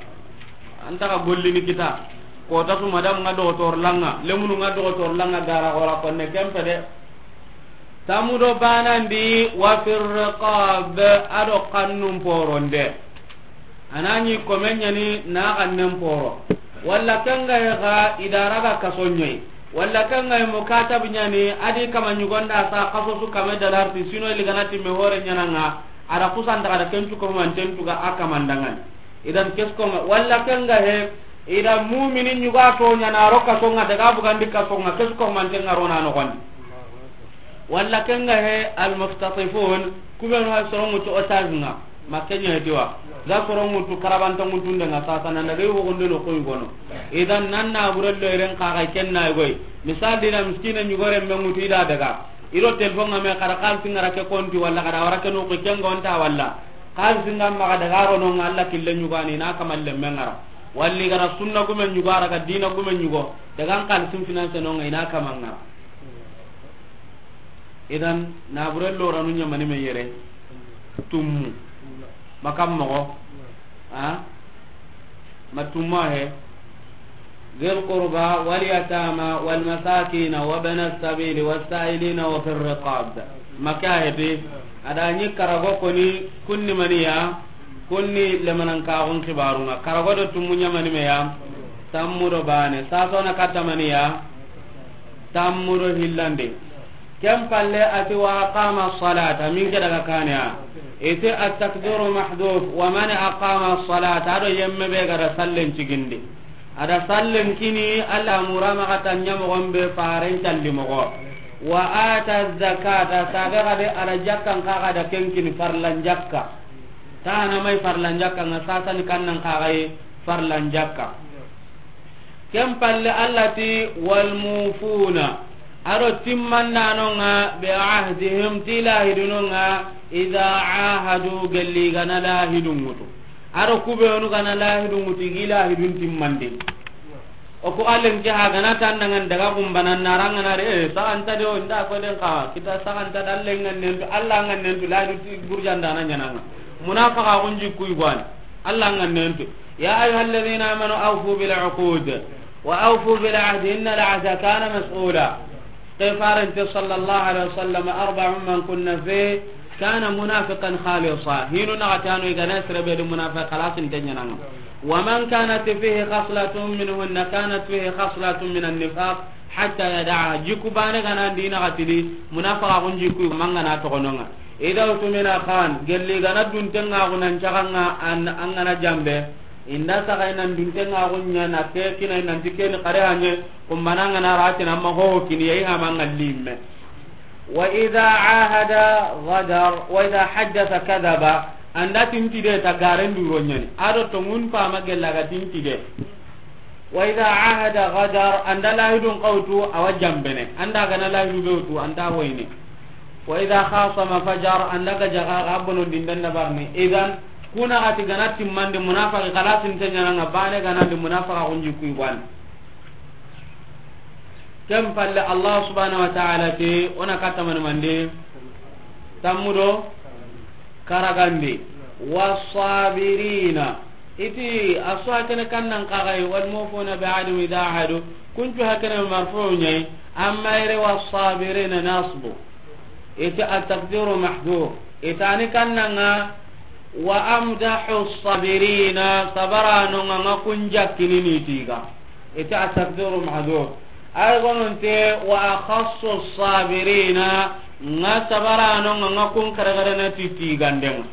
an ta ga gollini kita kota su madam nga dogotor langa lemunu nga dogotor langa gara ora konne kempe de. Tamudo banandi wa fir riqab ado kannun poronde. Anani komenyani na kannen poro walla kenga ga idara ga kasonyai. Walla ken ga he mukatabi ɲa ni, a di kama ɲugon da sa xaso su kame dalarti, sino i li ga na ti me hore ɲaana ŋa, a da kusanta xa da ken tu ko manten tu ga a kamandangan. Idan kesko ŋa, walla ken ga he, i da mumini ɲugo a to ɲaana ro kaso ŋa, daga bugandi kaso ŋa, kesko manten ŋa ro na noxondi. Walla ken ga he almukhtatifun, ku be no ha soron ŋutu otage ŋa, ma ken ɲa he ti wa. Ga soron ŋutu karabanta ŋutu nde ŋa sasa nan daga yugo gondo no koy gono. Idan nan na burello iren xa ga ken na goy. Misal di na miskina ɲugo ren me ŋutu i da daga. I do telefon ŋa me xa da xalisi ŋa ra ke konti walla xa da wara ke no ko ken gonta walla. Xalisi ŋa ma xa daga ro no ŋa Alla kille ɲugo a ni na kamalle me ŋa ra. Walli ga ra sunna gume ɲugo a ra ga dina gume ɲugo. Daga xalisin finance no ŋa i na kama ŋa ra. Idan, naburen loranu ɲamani me yere, tummu. Makam mogo. A? Ma tumma he. Dhil qurba wal yatama wal masakina wa bana sabili was sa'ilina wa fir riqab. Maka he ti, a da ɲi karago koni kunni maniya, kunni lemanan kaxun xibarunga. Karago do tummu ɲamani me ya, tammu do bane. Sasona katta maniya, tammu do hillande. Ken palle a ti, "Wa aqama salata", min ke daga kane a. Ite at-takbiru mahdhuf, "Wa man aqama salata", ado yemme be ga da sallen cigindi. A da sallen kini, Alla mura maxa ta ɲa moxon be faren calli moxo. "Wa ata zakata", sabe ga de a da jakkan xa ga da ken kini farlan jakka. Tana mai farlan jakka nga sasani kannan xa ga yi farlan jakka. Ken palle Alla ti, "Wal mufuna", ado timmandano nga, "bi ahdihim", ti lahiduno nga, "idha ahadu", gelli gana lahidun ŋutu. Ado kubenu gana lahidun ŋutu, gi lahidun timmandi. O ko allen ke ha gana tan dangan daga gumbanan naranga na re, eh, saganta de o nda ko den ka, kita saganta dallen ngan nentu, Alla ngan nentu, lahidu ti burjanda na ɲananga. Munafaka gunji kuy gwani. Alla ngan nentu. "Ya ayyuhalladhina amanu awfu bil uqud wa awfu bil ahdi innal ahda kana mas'ula." Ke farante sallallahu alaihi wasallam, "Arba'un man kunna fihi kana munafiqan khalisa." Hinu na gatano igana sirebe di munafiq khalasin tenyana. "Wa man kanat fihi khaslatun minhunna kanat fihi khaslatun minan nifaq hatta yada'aha." Jiku bane gana dina gatidi, munafiqa kun jiku mangana tokononga. "Idha utumina khan", gelli gana duntenga gunan caganga an, angana jambe. Inda saga inan duntenga gunya na ke kina inan tikeni kare hanye, kumbana ngana ratina ma ho kini yayi hama ngallimme. "Wa idha ahada ghadar, wa idha haddatha kadhaba", anda tinti de ta garen duro nyani. Ado to ngun pa ma gella ga tinti de. "Wa idha ahada ghadar", anda lahidun qawtu awa jambene. Anda gana lahidu bewtu, anda hoyne. "Wa idha khasama fajar", anda ga jaga ga bono dindan na barni. Idan, kuna gati gana timmande munafaqi khalasin tenyana nga bane gana di munafaqa kunji kuy wan. Ken palle Allah subhanahu wa ta'ala ti, ona katamani mande, tammudo, karagandi, wasabirina. Iti, aso hakene kannan kagai, wal mufuna bi ahdihim idha ahadu, kuntu hakene marfu nyai, amma ire wasabirina nasbu. Iti at-taqdiru mahdhuf. Itani kannanga, wa amdahu sabirina, sabarano nga kunja kinini tiga. Ita at-taqdiru mahdhuf. Ay gononte wa akhassu sabirina, nga sabarano nga, nga kun karagarana titi gandeng.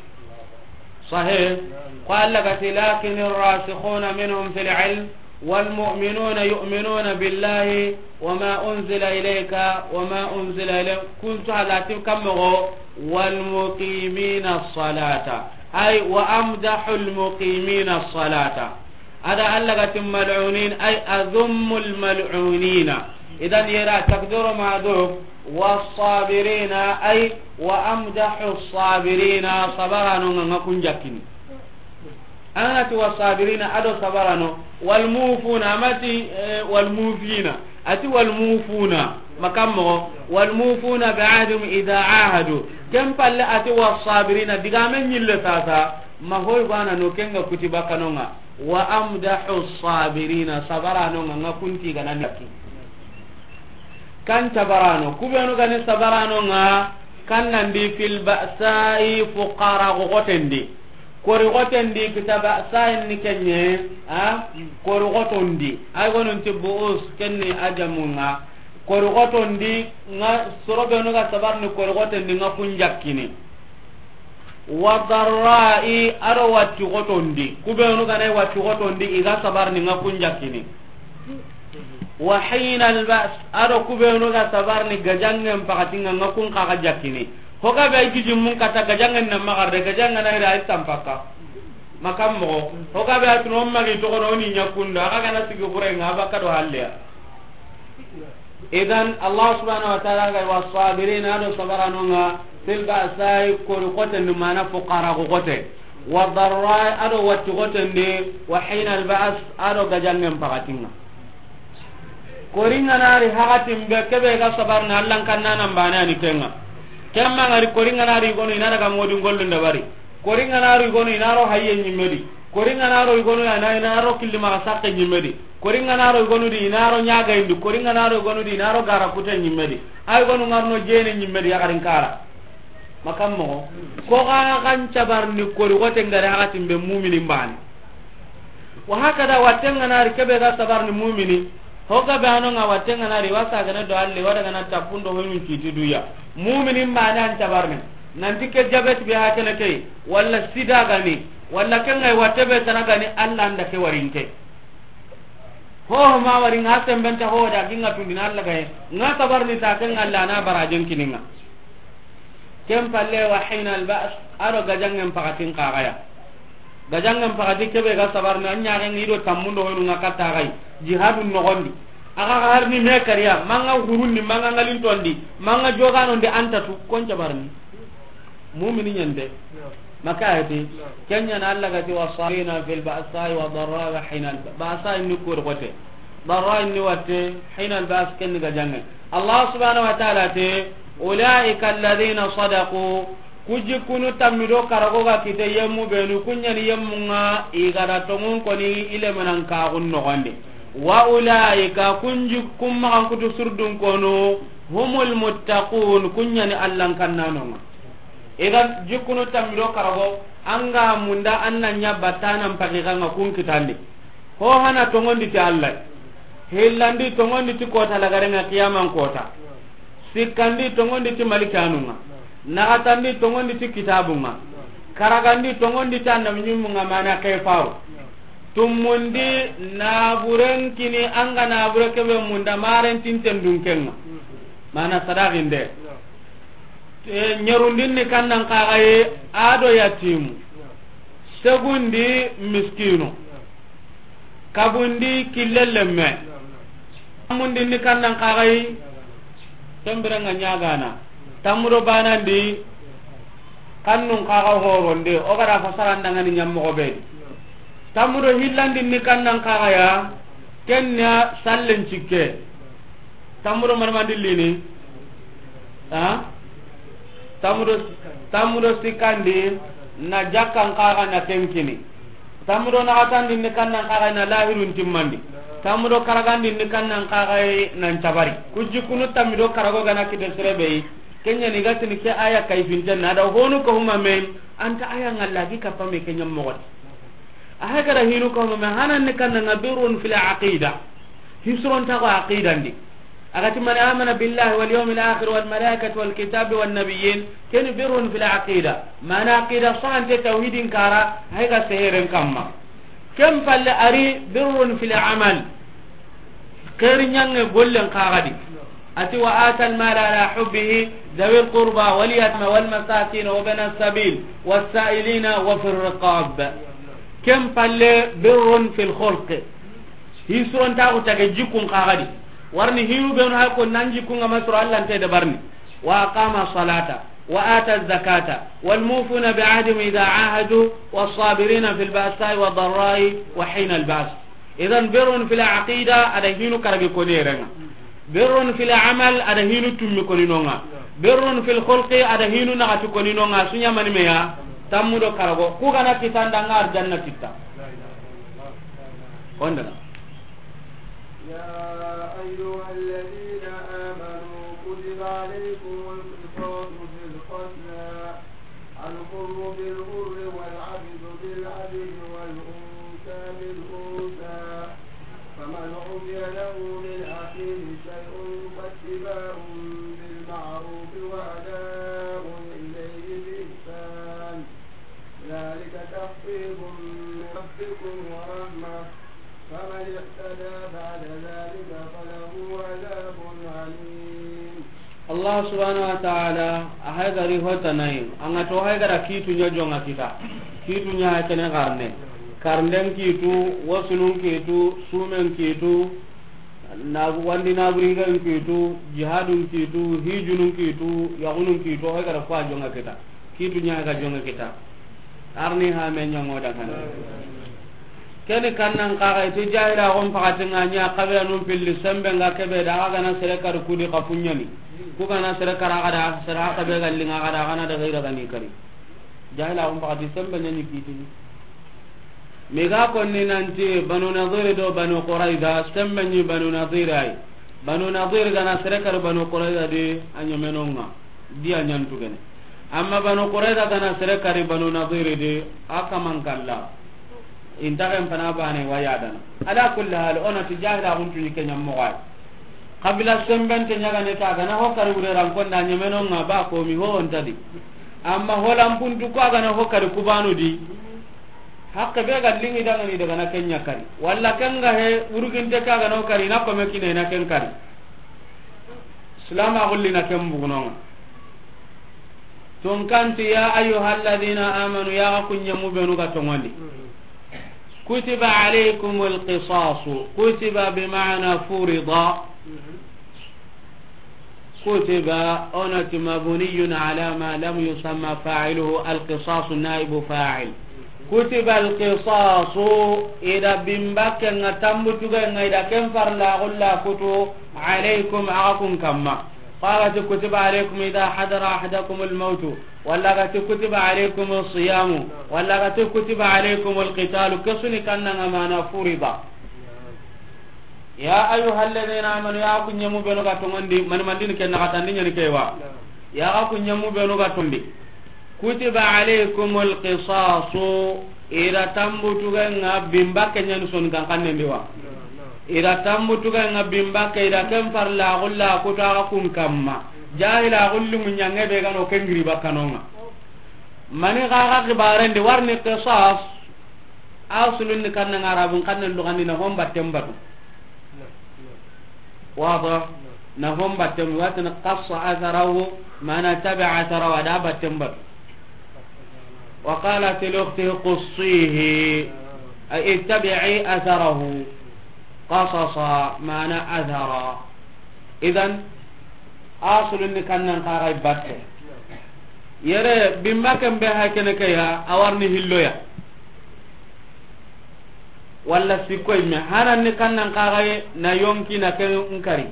Sahih. Qala gati, "Lakin ar-rasikhuna minhum fil ilm, wal mu'minuna yu'minuna billahi wa ma unzila ilayka wa ma unzila ilayka." Kuntu halati kammo, "Wal muqimina salata." Ay, wa amdahu al muqimina salata. Ada Allah gati mal'unin, ay adhummul mal'unina. Idan yera takdiru mahdhuf, was sabirina, ay wa amdahu as sabirina, sabarano nga, nga kunjakini. Anati was sabirina, ado sabarano, wal mufuna, amati, eh, wal mufina. Ati wal mufuna, makammo, wal mufuna bi ahdihim idha ahadu. Ken palle ati was sabirina, digamen nyille sasa, ma hoy bana no kenga kutiba kanonga. Wa amdahu sabirina, sabarano nga, nga kunti gana naki. Kan sabarano, kubenu gani sabarano nga, kan nandi fil ba'sa'i, fuqara gogotendi. Kori xoten di, kita ba'sain ni ken ɲa, a, kori xoton di. Ay gonun ti bu'us, ken ni a jamun ŋa. Kori xoton di, ŋa soro benu ga sabar ni kori xoten di, ŋa kun jakkini. Wa darra'i, a do watti xoton di. Ku benu ga na watti xoton di, i ga sabar ni, ŋa kun jakkini. Wa hina al-ba's, a do ku benu ga sabar ni gajangen pakatin ŋa, ŋa kun xa ga jakkini. Ho ga be ay gijin mun kata gajangen na magarde, gajangen na ira ay tampaka. Makam mo. Ho ga be atun o magi to ko ni ɲa kunda, a ga na sigi xure ŋa, a baka do halleya. Idan, Allah subhanahu wa ta'ala ga wa sabirin, a do sabaranu ŋa, fil ba'sa'i, kori xoten di, mana fuqara xote. Wa darra'i, a do watti xoten di, wa hina al-ba's, a do gajangen pakatin ŋa. Kori ŋa na ri hakatin be, ke be ga sabar na Allan kanna nan bane ani ken ŋa. Ken ma ŋa ri kori ŋa na ri gonu i na daga modin gollun da bari. Kori ŋa na ro i gonu i na ro hayye ɲimme di. Kori ŋa na ro i gonu i na, i na ro killi maxa sakke ɲimme di. Kori ŋa na ro i gonu di i na ro ɲaga indi. Kori ŋa na ro i gonu di i na ro gara kute ɲimme di. Ay gonu ŋa ro no jene ɲimme di, yaxarin kara. Makam mo. Ko ga ga n cabar ni kori xoten ga ri hakatin be, muminin bane. Wa hakada, watten ŋa na ri ke be ga sabar ni mumini. Ho ga be ano ŋa watten ŋa na ri, wasa ga na do alle, wada ga na tapundo hoyun kiti duya. Muminin bane an cabar ni. Nanti ke jabet be hakene ke, walla sida gani, walla ken ŋa watte be tana gani, Alla nda ke warinke. Ho ho ma wari ŋa sembenta ho da ginga tundina Alla gaye. Ŋa sabar ni ta ken ŋa Alla na barajen kininga. Ken palle wa hina al-ba's, a do gajangen pakatin xa ga ya. Gajangen pakati ke be ga sabar ni, an ɲaxen ŋa i do tammundo honu ŋa katta xa yi. Jihadun noxon di. A ga har ni me kariya, manga hurundi, manga ngalintondi, manga joganondi, an ta tu, kon cabar ni. Mumini ɲande. Maka ayati. Ken ɲa na Alla ga ti wa sabirina fil ba'sa'i wa darra'i wa hina al-ba's. Ba'sa'i ni kori xote. Darra'i ni watte, hina al-ba's ken ni gajange. Allah subhanahu wa ta'ala te, ulaika alladhina sadaqu, ku jikkunu tammi do karago ga kite yemmu benu, ku ɲa ni yemmu ŋa i ga da tonŋun koni i lemenan kaxun noxon di. Wa ulaika, kun jikkun maxan kutu surdun konu, humul muttaqun, ku ɲa ni Allan kannanonga. Idan jikkunu tammi do karago, an ga munda an na ɲa battanan paxi xa ŋa kun kitandi. Ho hana tonŋondi ti Allah. Hillandi tonŋondi ti kota lagarenga, qiyaman kota. Sikkandi tonŋondi ti malikanunga. Naxatandi tonŋondi ti kitabunga. Karagandi tonŋondi ti annabi ɲimmunga, mana kefaru. Tummundi naburen kini, an ga nabure kebe munda maren tinten dunkenga. Mana sadaqinde. E, ɲerundin ni kannan kaxaye, a do yatimu. Segundi miskinu. Kabundi kille lemme. Tamundin ni kannan kaxaye, tembirenga ɲagana. Tamudo banandi, kannun kaxa horonde, o ga da fasarandangani ɲammoxo be. Tamudo hillandin ni kannan kaxaya, kenna sallen cikke. Tammudo marmandillini. Ha? Tammudo, tammudo sikkandi, na jakkan kaxa na kenkini. Tammudo naxatandi ni kannan kaxa na lahirun timmandi. Tammudo karagandi ni kannan kaxa nan cabari. Ku jikkunu tammido karago gana kite serebei. Kenya ni gatini ke aya kayfinten na da honu ko huma men, anta aya ngalla gi kapame kenya mogoti. A hay kada hinu ko huma men, hanan ni kanna nga birrun fil aqida. Hisron ta ko aqidandi. Agati man amana billahi wal yawmil akhir wal malaikati wal kitabi wan nabiyyin, ken birrun fil aqida. Mana aqida sante tawhidin kara, hay ga seheren kamma. Ken palle ari birrun fil amal. Xeeri ɲange gollen kaxadi. Ati wa atal mala ala hubbihi dawil qurba wal yatama wal masakin wa bana sabil was sa'ilina wa fir riqab. Ken palle birrun fil khulq. Hisurontaxu tage jikkun kaxadi. Warni hinu benu hay ko nan jikkunga masoro Alla nte dabarni. Wa aqama salata wa ata zakata wal mufuna bi ahdihim idha ahadu was sabirina fil ba'sa'i wad darra'i wa hina al ba's. Idan birrun fil aqida ada hinu karagi koni erenga. Birrun fil amal ada hinu tummi koni nonga. Birrun fil khulqi ada hinu nagati koni nonga. Sunya mani meya tammudo karago. Ku gana kitanda ngar janna kitta. Kondana. يا أيها الذين آمنوا كتب عليكم القصاص في القتلى الحر بالحر والعبد بالأنثى، فمن عفي له من أخيه شيء فاتباع بالمعروف وأداء إليه بإحسان، ذلك تخفيف من ربكم ورحمة، فمن اعتدى بعد ذلك فله عذاب أليم. Allah subhanahu wa ta'ala a hay gari hotanayi, an ga to hay gara kitu ɲa jonga kita. Kitu ɲa hay kene garne. Karnden kitu, wasulun kitu, sumen kitu, na wandi na buringan kitu, jihadun kitu, hijunun kitu, yagunun kitu, hay gara kwa jonga kita. Kitu ɲa ga jonga kita. Arni ha me ɲango da kana. Keni kannan kaga iti jahila gon pakati nga ɲa kabila nun pilli sembe nga kebe da aga na sere kar kudi kafunyani. Ku ga na sere kar aga da sere kabe galli nga aga da aga na da gaira gani kari. Jahila gon pakati sembe ɲani kitini. Mi ga konni nanti Banu Nadir do Banu Qurayza, sembe ɲi Banu Nadir ay. Banu Nadir ga na sere kar Banu Qurayza di a ɲemenonga. Di a ɲantu gene. Amma Banu Qurayza ga na sere kari Banu Nadir di, a kaman kalla. Inta ken pana bane waya dana. Ala kulli hal, ona ti jahila guntu ni kenya mo gay. Kabila sembente ɲaga ne ta ga na ho kari wure ran konda ɲemenonga ba ko mi ho onta di. Amma holan puntu ko ga na ho kari kubanu di. Hakke be ga lingi daga ni daga na kenya kari. Walla ken ga he uruginte ka ga no kari na ko me kine na ken kari. Silama gulli na ken bugunonga. Tunkanti, ya ayyuhalladhina amanu, ya ga kunyamu benu ga tongondi. Kutiba alaykumul qisasu. Kutiba bi ma'na furida. Kutiba, onati mabniyun ala ma lam yusamma fa'iluhu, alqisasu naibu fa'il. Kutiba alqisasu, ida bimbakke nga tambutuge nga ida ken farla gulla kutu, alaykum, aga kun kamma. Qala ti kutiba alaykum ida hadara ahadakumul mautu, walla ga ti kutiba alaykumus siyamu, walla ga ti kutiba alaykumul qitalu, kesuni kanna nga mana furida. Ya ayyuhalladhina amanu, ya ku ɲemu benu ga tongondi, mani mandini ken na katandi ɲani kewa. Ya ga ku ɲemu benu ga tondi. Kutiba alaykumul qisasu, ira tambutuge nga bimbakke ɲani son kan kanne ndiwa. Ira tambutuge nga bimbakke, ira ken farla gulla kutu aga kun kamma. Jahila gullu munyange be gano kengiri bakkanonga. Mani gaga kibarendi warni qisas. Asulun ni kanna nga Arabun kanna lugandi na homba tembatu. Wada na homba tem watin qassa atharahu, mana tabi'a atharahu, ada ba tembatu. Wa qalat li ukhtihi qussihi, ay ittabi'i atharahu. Qasasa mana athara. Idan asulun ni kannan kaga batte. Yere bimbakken be ha kene ke ya, a warni hilloya. Walla sikkoy me hanan ni kannan kaga na yonki na ken nkari.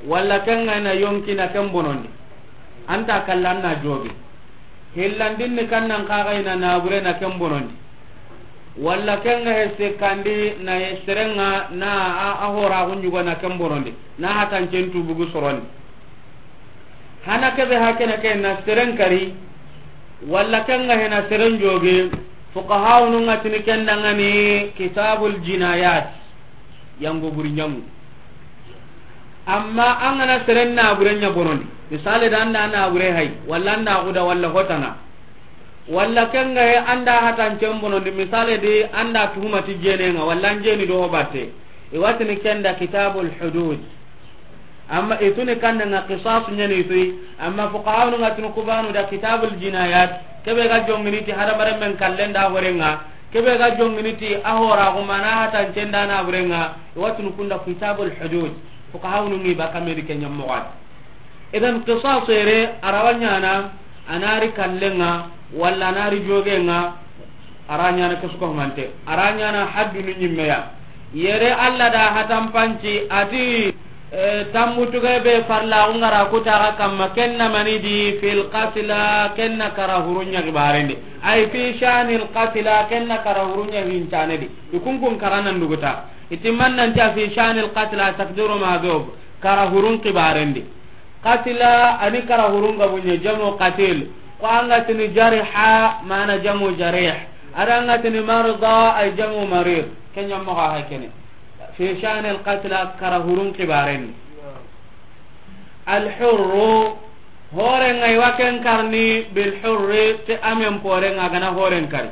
Walla ken na yonki na ken bonondi. Anta kallan na jogi. Hillandin ni kannan kaga na nabure na ken bonondi. Walla ken ga he sekkandi na serenga na a, a hora gunjugo na ken bonondi. Na hatan centu bugu sorondi. Hana kebe hakene ke na seren kari, walla ken ga he na seren joge, fuqahaunu nga tini ken dangani kitabul jinayat, yango buri ɲamu. Amma an ga na seren nabure ɲa bonondi, misale da anda nabure hay, walla anda guda, walla hotana, walla ken ga he anda hatan cen bonondi, misale di anda tuhumati jenenga, walla an jeni do ho batte, i watini ken da kitabul hudud. Amma ituni kanna nga qisas ɲani itui, amma fuqahaunu nga tunu kubanu da kitabul jinayat, kebe ga jongini ti hadamaren men kallen da horenga, kebe ga jongini ti a hora gumana hatan cen da naburenga, i watunu kunda kitabul hudud, fuqahaunu ngi ba kamedi ke ɲammoxadi. Idan qisas ere arawa ɲana, anari kallenga, walla anari jogenga, ara ɲana kesu ko mante, ara ɲana haddunu ɲimmeya. Yere Allah da hatan panci ati, eh, tambutuge be farla ungara kutaga kamma kenna manidi fil qatla, kenna kara hurunya gibarende. Ay fi shanil qatla, kenna kara hurunya hincanedi. Ikunkun karanan duguta. Itimannan ta fi shanil qatla takdiru madhub. Kara hurun kibarendi. Qatila ani kara hurun gabunye jamu qatil. Ko anga tini jariha mana jamu jarih. A da ŋa tini marda, ay jamu marir. Ken ɲa moxo xa kene. Fi sha'ni al-qatla, kara hurun xibaaren. Al-hurru, hooren ŋa i wa ken karni, bil hurri, ti a men pooren ŋa, a ga na hooren kari.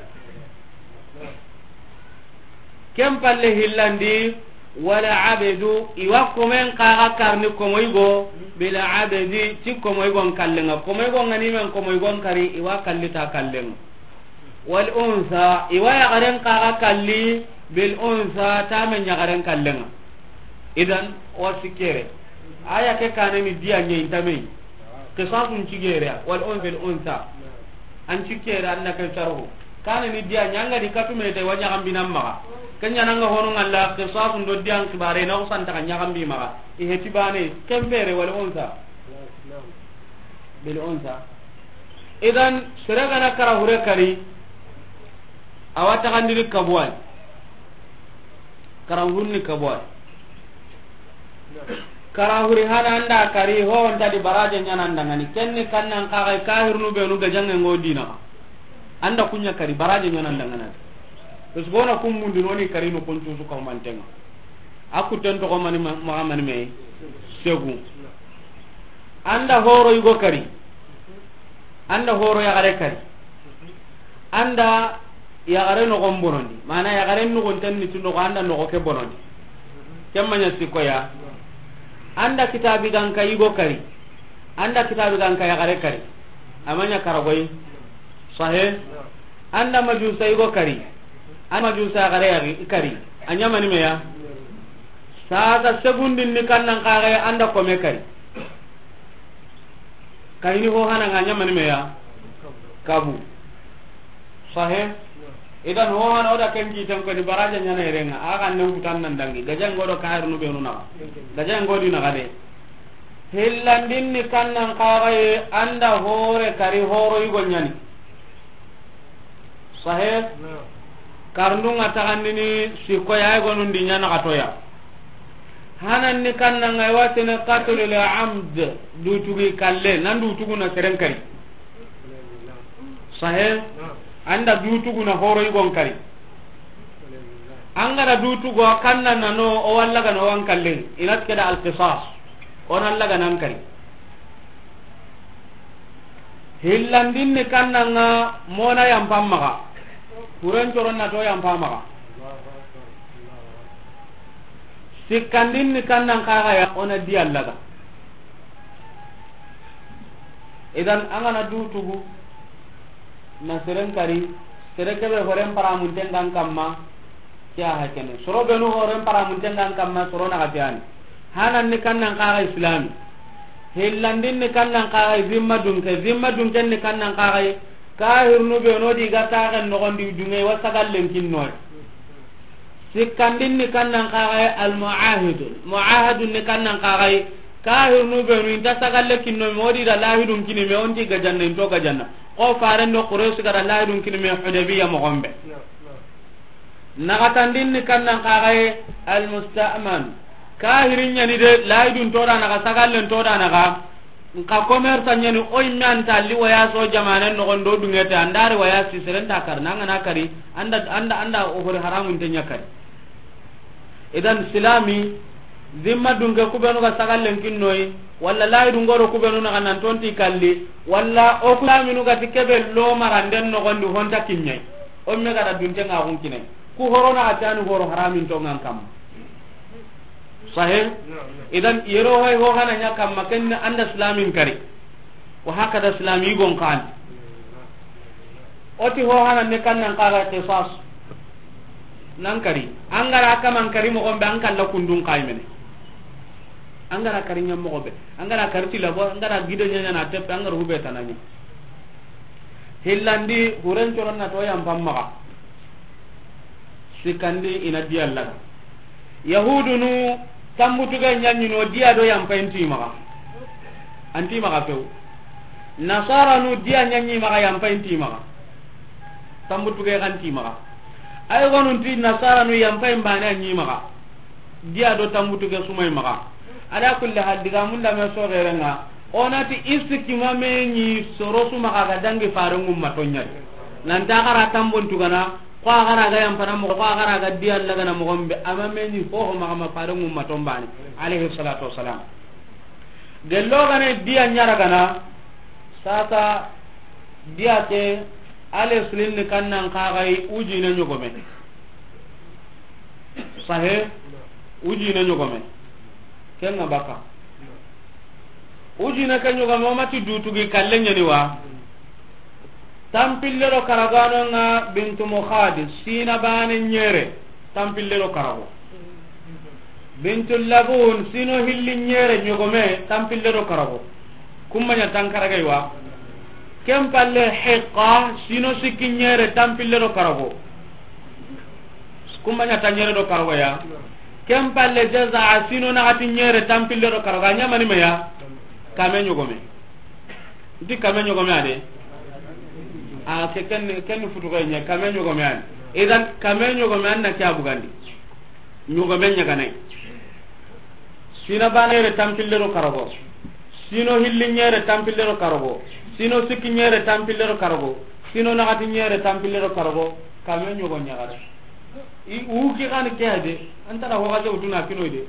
Ken palle hillandi, wal abdu, i wa komen xa ga karni komoyigo, bil abdi, ti komoyigon kallen ŋa. Komoyigon ga ni men komoyigon kari, i wa kalli ta kallen ŋa. Wal unsa, i wa yaxaren xa ga kalli, bil unsa, ta men yaxaren kallen ŋa. Idan, wa sikkere. Aya ke kane ni diya ɲa i nta me yi. Qisasun cigere, wal un bil unsa. An cigere, an na ke sarhu. Kane ni diya ɲa, an ga di katu me te, wa ɲaxambinan maxa. Ken ɲa na ŋa hono ŋalla, qisasun do diyan xibare, na xusanta xa ɲaxambi maxa. I heti bane, ken pere, wal unsa. Bil unsa. Idan, sere ga na kara hure kari, a wa taxandini kabuwa yi. Kara hurun ni kabuwa yi. Kara huri hana an da kari, ho nta di baraje ɲa na an da ŋa ni. Ken ni kannan xa ga yi, kahirunu benu gajaŋen ŋo dina xa. An da ku ɲa kari, baraje ɲa na an da ŋa na. Parce que o na kun mundi no ni kari no kun cusu ka manten ŋa. A kutten toxo mani ma-, maxa mani me segu. An da horo yigo kari. An da horo yaxare kari. An da yaxare noxon bonondi. Mana yaxare noxon ten ni tu noxo, an da noxo ke bonondi. Ken ma ɲa sikko ya. An da kitabi ganka yigo kari. An da kitabi ganka yaxare kari. A ma ɲa karagoyi. Sahe. An da majusa yigo kari. An majusa yaxare yaxi kari. A ɲa mani me ya. Sasa segundin ni kannan xa ga yi, an da kome kari. Kayini ho hana ŋa ɲa mani me ya. Kabu. Sahe. Idan ho hana o da ken kiten ko ni baraje ɲa na yere ŋa. A ga nan kutan nan dangi. Gajaŋen ŋo do kahirunu benu naxa. Gajaŋen ŋo di naxa de. Hillandin ni kannan xa ga yi, an da hore kari, horo yigo ɲa ni. Sahe. Karndun ŋa taxandini sikko ya, ay gonun di ɲa na xa toya. Hanan ni kannan ŋa i wa tini qatlul amd, dutugi kalle, nan dutugu na seren kari. Sahe. An da dutugu na horo yigon kari. An ga da dutugu a kannan na no, o wa laga na o wa n kalle. I na ti ke da al-qisas. O na laga na an kari. Hillandin ni kannan ŋa, mo na yampan maxa. Huren coron na to yampa maxa. Sikkandin ni kannan xa ga ya, o na diya laga. Idan, an ga na dutugu na seren kari, sere kebe horen paramunten ga an kamma. Ke ya hakene. Soro benu horen paramunten ga an kamma, soro na ga tiyani. Hanan ni kannan xa ga yi islami. Hillandin ni kannan xa ga yi zimma dunke. Zimma dunken ni kannan xa ga yi, kahirunu benu di ga taxen noxon di dunŋe, i wa sagallen kinnoy. Sikkandin ni kannan xa ga yi almuahidun. Muahadun ni kannan xa ga yi, kahirunu benu i nta sagalle kinno me, o di da lahidun kini me, o nti gajanna, i nto gajanna. Ko faren do Quraysh ga da lahidun kini me Hudaybiya moxon be. Naxatandin ni kannan xa ga yi almusta'man. Kahirin ɲa ni de, lahidun to da naxa, sagallen to da naxa. Nka commerce ɲa ni, o yimme an ta li waya so jamanen noxon do dunŋe te, an da ri waya si seren ta kari, na an ga na kari, an da, an da, an da o hori haramun te ɲa kari. Idan silami, zimma dunke ku benu ga sagallen kinnoyi, walla lahidun ŋo do ku benu naxa nan tonti kalli, walla o ku silaminu ga ti kebe lo maranden noxon di honta kiɲai. O me ga da dunte ŋa xun kinai. Ku horo na ga tiyani horo haramin to ŋa an kamma. Sahe? Idan, yero hay ho hana ɲa kamma, ken an da silamin kari. Wa hakada silami gon kan. O ti ho hana ne kannan xa ga qisas. Nan kari. An ga ra kaman kari moxon be, an kalla kundun xa yi mene. An ga ra kari ɲa moxo be. An ga ra kari ti labo, an ga ra gido ɲa ɲa na teppe, an ga ra hube tana ɲa. Hillandi, huren coron na to yampan maxa. Sikkandi i na diya laga. Yahudunu, tambutuge ɲa ɲi no, diya do yampa i nti maxa. A nti maxa few. Nasaranu, diya ɲa ɲi maxa, yampa i nti maxa. Tambutuge xa nti maxa. Ay gonu nti Nasaranu, yampa i n bane a ɲi maxa. Diya do tambutuge su ma i maxa. Ala kulli hal, digamun da me so xerenŋa. O na ti i sikki ma me ɲi soro su maxa ga dangi faren ŋumma to ɲa di. Nan ta xara tambon tugana, ko a xara ga yampana moxo, ko a xara ga diya lagana moxon be, ama meni ho ho maxa ma fare ŋumma tombane, alayhi salatu wassalam. Gello gane diya ɲara gana, sasa diya ke, ale sulin ni kannan kaxay ujine ɲogome. Sahe, ujine ɲogome. Kenga baka. Ujine ke ɲogome, o mati dutugi kalle ɲani wa. Tampille do karagano nga bintu Mukhadi, sina bane ɲere, tampille do karago. Bintu Labun, sino hilli ɲere ɲogome, tampille do karago. Kumma ɲa tankarage wa. Ken palle Hiqqa, sino sikki ɲere, tampille do karago. Kumma ɲa ta ɲere do karago ya. Ken palle Jaza'a, sino naxati ɲere, tampille do karago. A ɲamani me ya? Kame ɲogome. Nti kame ɲogome ade. A ke ken, ken futu ko ɲe, kame ɲogome ade. Idan kame ɲogome an na ke a bugandi. Ɲogome ɲaganai. Sina bane ɲere, tampille do karago. Sino hilli ɲere, tampille do karago. Sino sikki ɲere, tampille do karago. Sino naxati ɲere, tampille do karago. Kame ɲogo ɲagare. I, u ki xani ke ade. Antara ho ga jawtuna kinoy de.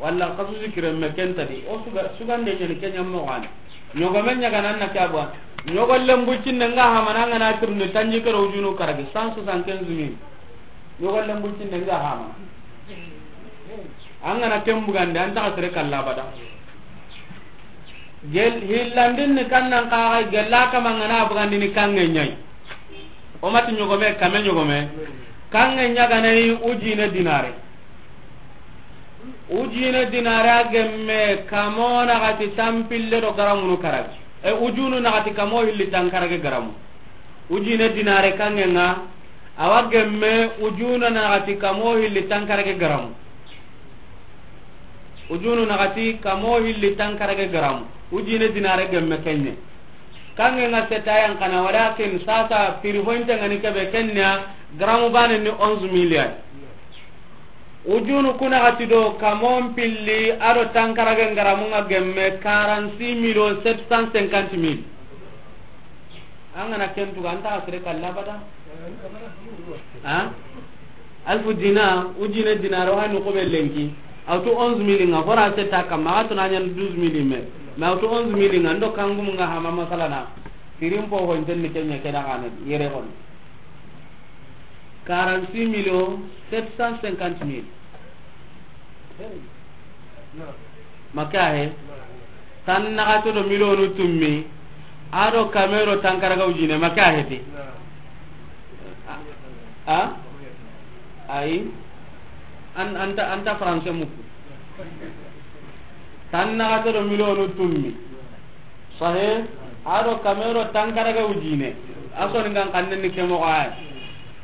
Walla xasu sikire me kenta di. O suga, sugande ɲani ke ɲammo xani. Ɲogome ɲagana na ke a bugandi. Ɲogo lembu cinne nga hamana nga na tirni tanji kero ujunu karagi cent soixante-quinze mille. Ɲogo lembu cinne nga hama. An gana ken bugandi, an taxa sere kalla abada. Gel, hillandin ni kannan kaxa gella kama ngana bugandi ni kange ɲai. O mati ɲogome, kame ɲogome. Kange ɲaganai ujine dinare. Ujine dinare a gemme kamo naxati tampille do garamunu karagi. E ujunu naxati kamo hilli tankarage garamu. Ujine dinare kange nga, awa gemme ujunu naxati kamo hilli tankarage garamu. Ujunu naxati kamo hilli tankarage garamu. Ujine dinare gemme kenye. Kange nga seta yan kana, walakin sasa piri hointe ngani kebe kenya garamu bane ni onze milliards. Ujunu kuna gati do kamon pilli ado tankarage ngaramu nga gemme quarante-six millions sept cent cinquante mille. An gana ken tuga, an taxa sere kalla abada. Ha? Alfu dina, ujine dinaro, hani ko be lenki. Awtu onze mille nga, hora seta kama, awtu na ɲan douze mille me. Mais awtu onze mille nga, ndo kangum nga hama masalana. Firin po ho nten ni kenya kena xane, yere xon. Quarante-six millions sept cent cinquante mille. Maka he. Tan naxato do milionu tummi. Ado kamero tankaraga ujine, maka he ti. A? Ayi. An, anta, anta français muku. Tan naxato do milionu tummi. Sahe, ado kamero tankaraga ujine. Aso ni ngan kannen ni kemo ay.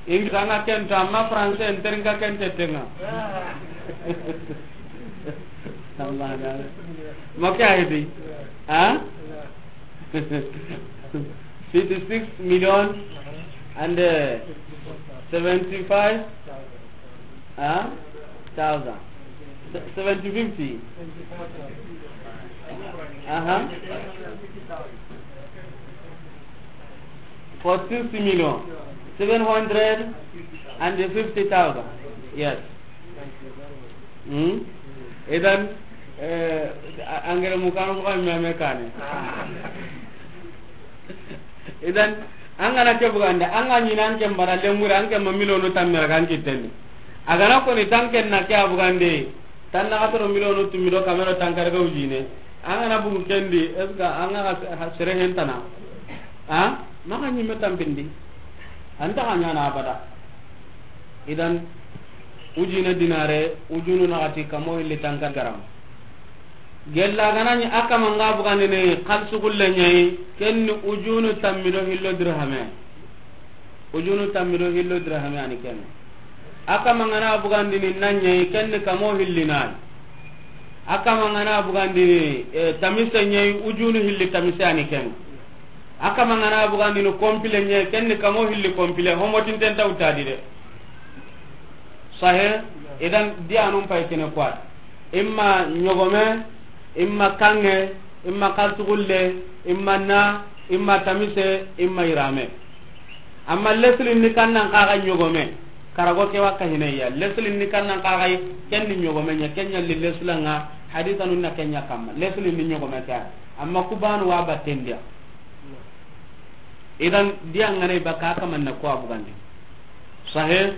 Ingi tanga kento, amma français en teringa kente tenga. Maka hedi. Ha? Fifty-six million and, uh, seventy-five, huh? Thousand. Se-, seventy, fifty. Uh-huh. For sixty million, seven hundred and fifty thousand. Yes. Hmm? Idan, eh, a-, angere mu kanu ko me me kane. Idan, an gana ke bugande, an ga ɲina an ke mbara lengure, an ke ma milionu tammere kan kitendi. A gana ko ni tanken na ke a bugande, tan naxato do milionu tummi do kamero tankaraga ujine. An gana bugu kendi, est-ce que an ga ha-, sere hentana? Ha? Maka ɲimme tampindi. An taxa ɲana abada. Idan, ujine dinare, ujunu naxati kamo hilli tanka garam. Gella gana ɲi a kama nga bugandini xalsu gulle ɲayi, ken ni ujunu tammi do hillo dirhame. Ujunu tammi do hillo dirhame ani ken. A kama ngana bugandini na ɲayi, ken ni kamo hilli nayi. A kama ngana bugandini, eh, tamise ɲayi, ujunu hilli tamise ani ken. A kama ngana bugandini complet ɲe, ken ni kamo hilli complet, homotinten tawtadi de. Sahe, idan diyanun pay kene quoi. Imma ɲogome, imma kange, imma kartugulle, imma na, Imma tamise, imma irame. Amma leslin ni kannan kaga ɲogome. Karago ke wakka hineya. Leslin ni kannan kaga ken ni ɲogome ɲa, ken ɲa li leslanga, hadithanun na ken ɲa kamma. Leslin ni ɲogome ka. Amma kubanu wa battendiya. Idan, diya ngane baka kamanna ko abugandi. Sahe?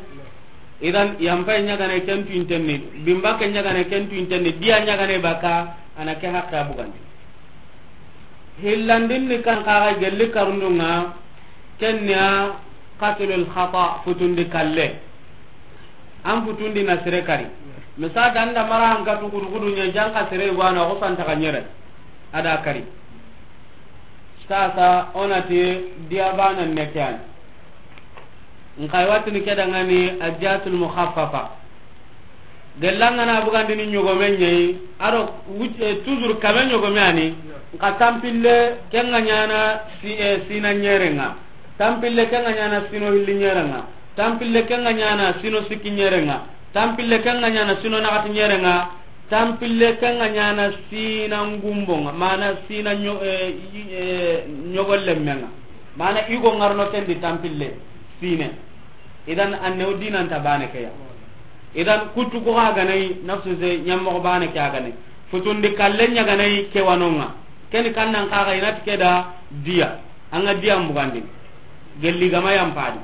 Idan, yampa ɲagane ken tuintenni, bimba ke ɲagane ken tuintenni, diya ɲagane baka, ana ke hakka abugandi. Hillandin ni kan kaga gelli karundunga, kenya qatlul khata, futundi kalle. An futundi na sere kari. Misal da nda mara an katu gudu gudu ɲa janka sere gwana ko santa ka ɲere. Ada kari. Sasa onati diya bana ne kyan. Nkai watini kedangani addiyatul mukhaffafa. Gellanga na bugandini ɲogome ɲeyi, aro wuj-, eh, toujours kame ɲogome ani, nka tampille kenga ɲana si-, eh, sina ɲerenga, tampille kenga ɲana sino hilli ɲerenga, tampille kenga ɲana sino sikki ɲerenga, tampille kenga ɲana sino naxati ɲerenga, tampille kenga ɲana sina ngumbonga, mana sina ɲo-, eh, i-, eh, ɲogollemmenga, mana igo ngarno kendi tampille sine. Idan annew dinanta bane ke ya. Idan kuttu ko ga ganai nafsu se ɲammoxo bane ke a ganai. Futundi kalle ɲa ganai ke wanonga. Keni kannan kaga inati keda diya. Anga diya mbugandi. Gelli gama yampadi.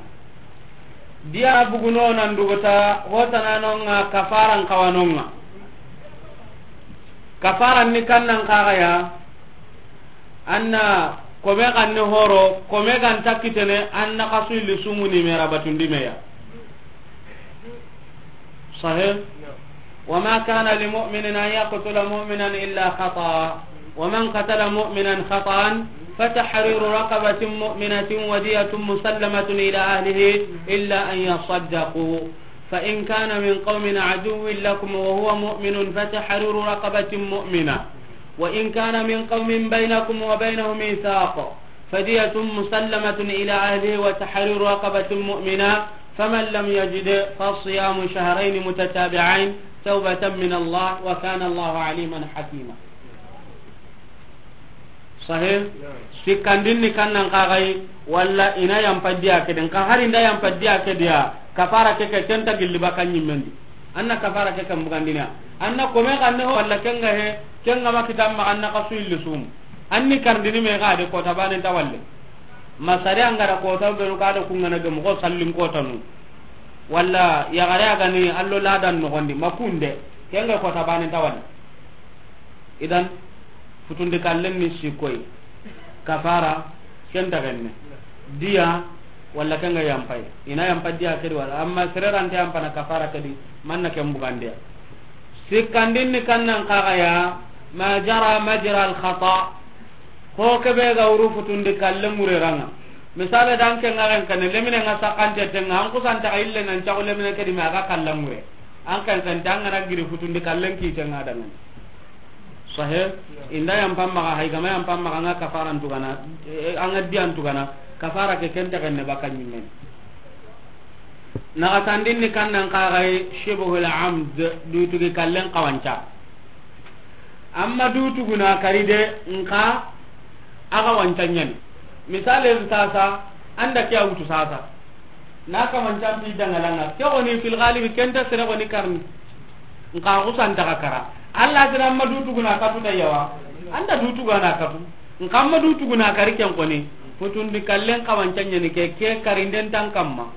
Diya buguno nan dugota hotananonga kafaran kawanonga. Kafaran ni kannan kaga ya. Anna kome ganne horo, kome ganta kitene, anna kasu illi sumuni mera batundi meya. Sahih? وما كان لمؤمن أن يقتل مؤمنا إلا خطأ، ومن قتل مؤمنا خطأ فتحرير رقبة مؤمنة ودية مسلمة إلى أهله إلا أن يصدقوا، فإن كان من قوم عدو لكم وهو مؤمن فتحرير رقبة مؤمنة، وإن كان من قوم بينكم وبينهم ميثاق فدية مسلمة إلى أهله وتحرير رقبة مؤمنة، فمن لم يجد فصيام شهرين متتابعين توبة من الله وكان الله عليما حكيما. Sahih? Sikkandin ni kannan kagai, walla ina yampa diya kedi, nka hari nda yampa diya kedi ya, kafara ke ke kenta gilli baka ɲimmendi. Anna kafara ke kan bugandina. Anna kome kanne ho walla kenga he, kenga ma kitamma anna kasu illi sum. Anni kardini me ga de kota bane ta walle. Masari angara kota benu ka de kungana gemu ko sallin kota nu. Walla yagare agani allo ladan nogondi makunde. Kenga kota bane ta walle. Idan, futundi kallen ni sikkoy. Kafara, ken dagenne. Diya, walla kenga yampay. Ina yampa diya kedi wala. Amma sererante yampana kafara kedi, manna ken bugandiya. Sikkandin ni kannan kagaya, ma jara majra al khata. Ho kebe ga wuru futundi kallen ŋureranga. Misale dan kenga ken kane, lemine nga sakante tenga, an kusanta ille nan cagu lemine kedi me aga kallen ŋure. An kan kan tanga na giri futundi kallen ki tenga dangan. Sahe, inda yampa maga, hay gama yampa maga nga kafaran tugana, eh, anga diyan tugana, kafara ke kenta kenne baka ɲimmen. Naxatandin ni kannan kagai shibhul amd, dutugi kallen kawanca. Amma dutuguna kari de, nka aga wanca ɲani. Misale sasa, anda ke a wutu sasa. Na kamancan pi dangalanga. Ke goni fil galibi kenta sere goni karni. Nka kusan taga kara. Allah tira amma dutuguna katu da yawa. Anda dutugana katu. Nka amma dutuguna kari ken koni. Futundi kallen kawancan ɲani ke, ke karinden tan kamma.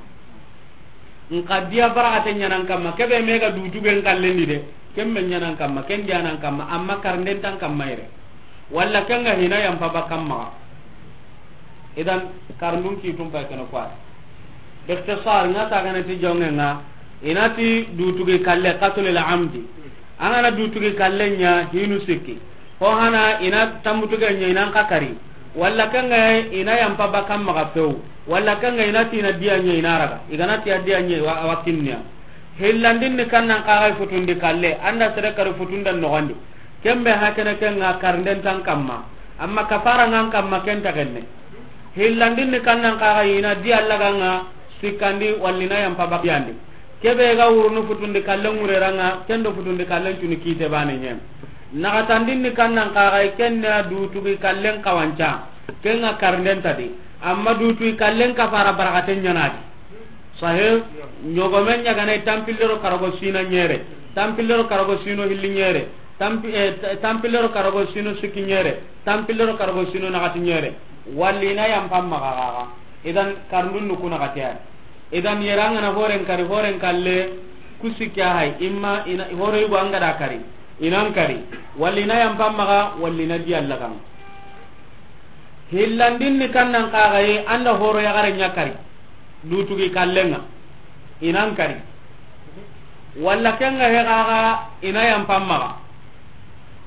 Nka diya baragate ɲanan kamma. Kebe mega dutugen kallen di de. Ken men ɲanan kamma. Ken diyanan kamma. Amma karinden tan kamma yere. Walla kenga hina yampa bakkan maga. Idan, karndun ki tumpa kene kwa. Ikhtisar, nga ta gana ti jonge nga, inati dutugi kalle, qatlul amdi. Angana dutugi kalle nya hinu sikki. Ho hana ina tambutuge nya ina kakari. Walla kenga ina yampa bakkan maga pew. Walla kenga inati ina diya nya ina raga. Igana ti diya nya wa, wakinnya. Hillandin ni kannan kagai futundi kalle, anda sere kari futundan nogondi. Kembe hakene kenga karnden tan kamma. Amma kafara ngan kamma ken tagenne. Hillandin ni kannan kagai ina di Allah ganga sikkandi wallina yampa bakiyandi. Kebe ga wurunu futundi kallen ŋureranga, kendo futundi kallen cuni kite bane nyem. Naxatandin ni kannan kagai kenna dutugi kallen kawanca. Ken ŋa karnden ta di. Amma dutu i kallen kafara barakaten ɲa na di. Sahe, ɲogomen ɲa ga na i tanpille do karago sino ɲere, tanpille do karago sino hilli ɲere, tanpi-, eh, ta-, tanpille do karago sino sikki ɲere, tanpille do karago sino naxati ɲere. Walli i na yampan maxa xaxa. Idan karndun nu ku naxati ya. Idan yere an ga na horen kari, horen kalle ku sikki ya hay, imma i na horo yugo an ga da kari, i nan kari, walli i na yampan maxa, walli i na diya lagan. Hillandin ni kannan xaxaye, an da horo yaxare ɲa kari, dutugi kallen ŋa, i nan kari. Walla ken ŋa he xaxa, i na yampan maxa.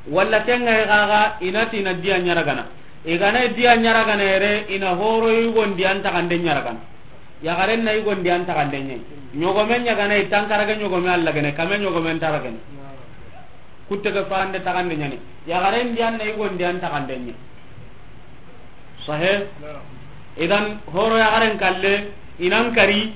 Walla ken ŋa he xaxa, i na ti i na diya ɲaragana. I ga na diya ɲaragana yere, i na horo yugondi an taxande ɲaragana. Yaxaren na yugondi an taxande ɲa. Ɲogomen ɲa ga na i tankarage ɲogome Alla gene, kame ɲogomen taragene. Kutte ke fande taxande ɲani. Yaxaren di an na yugondi an taxande ɲa. Sahe. Idan horo yaxaren kalle, i nan kari,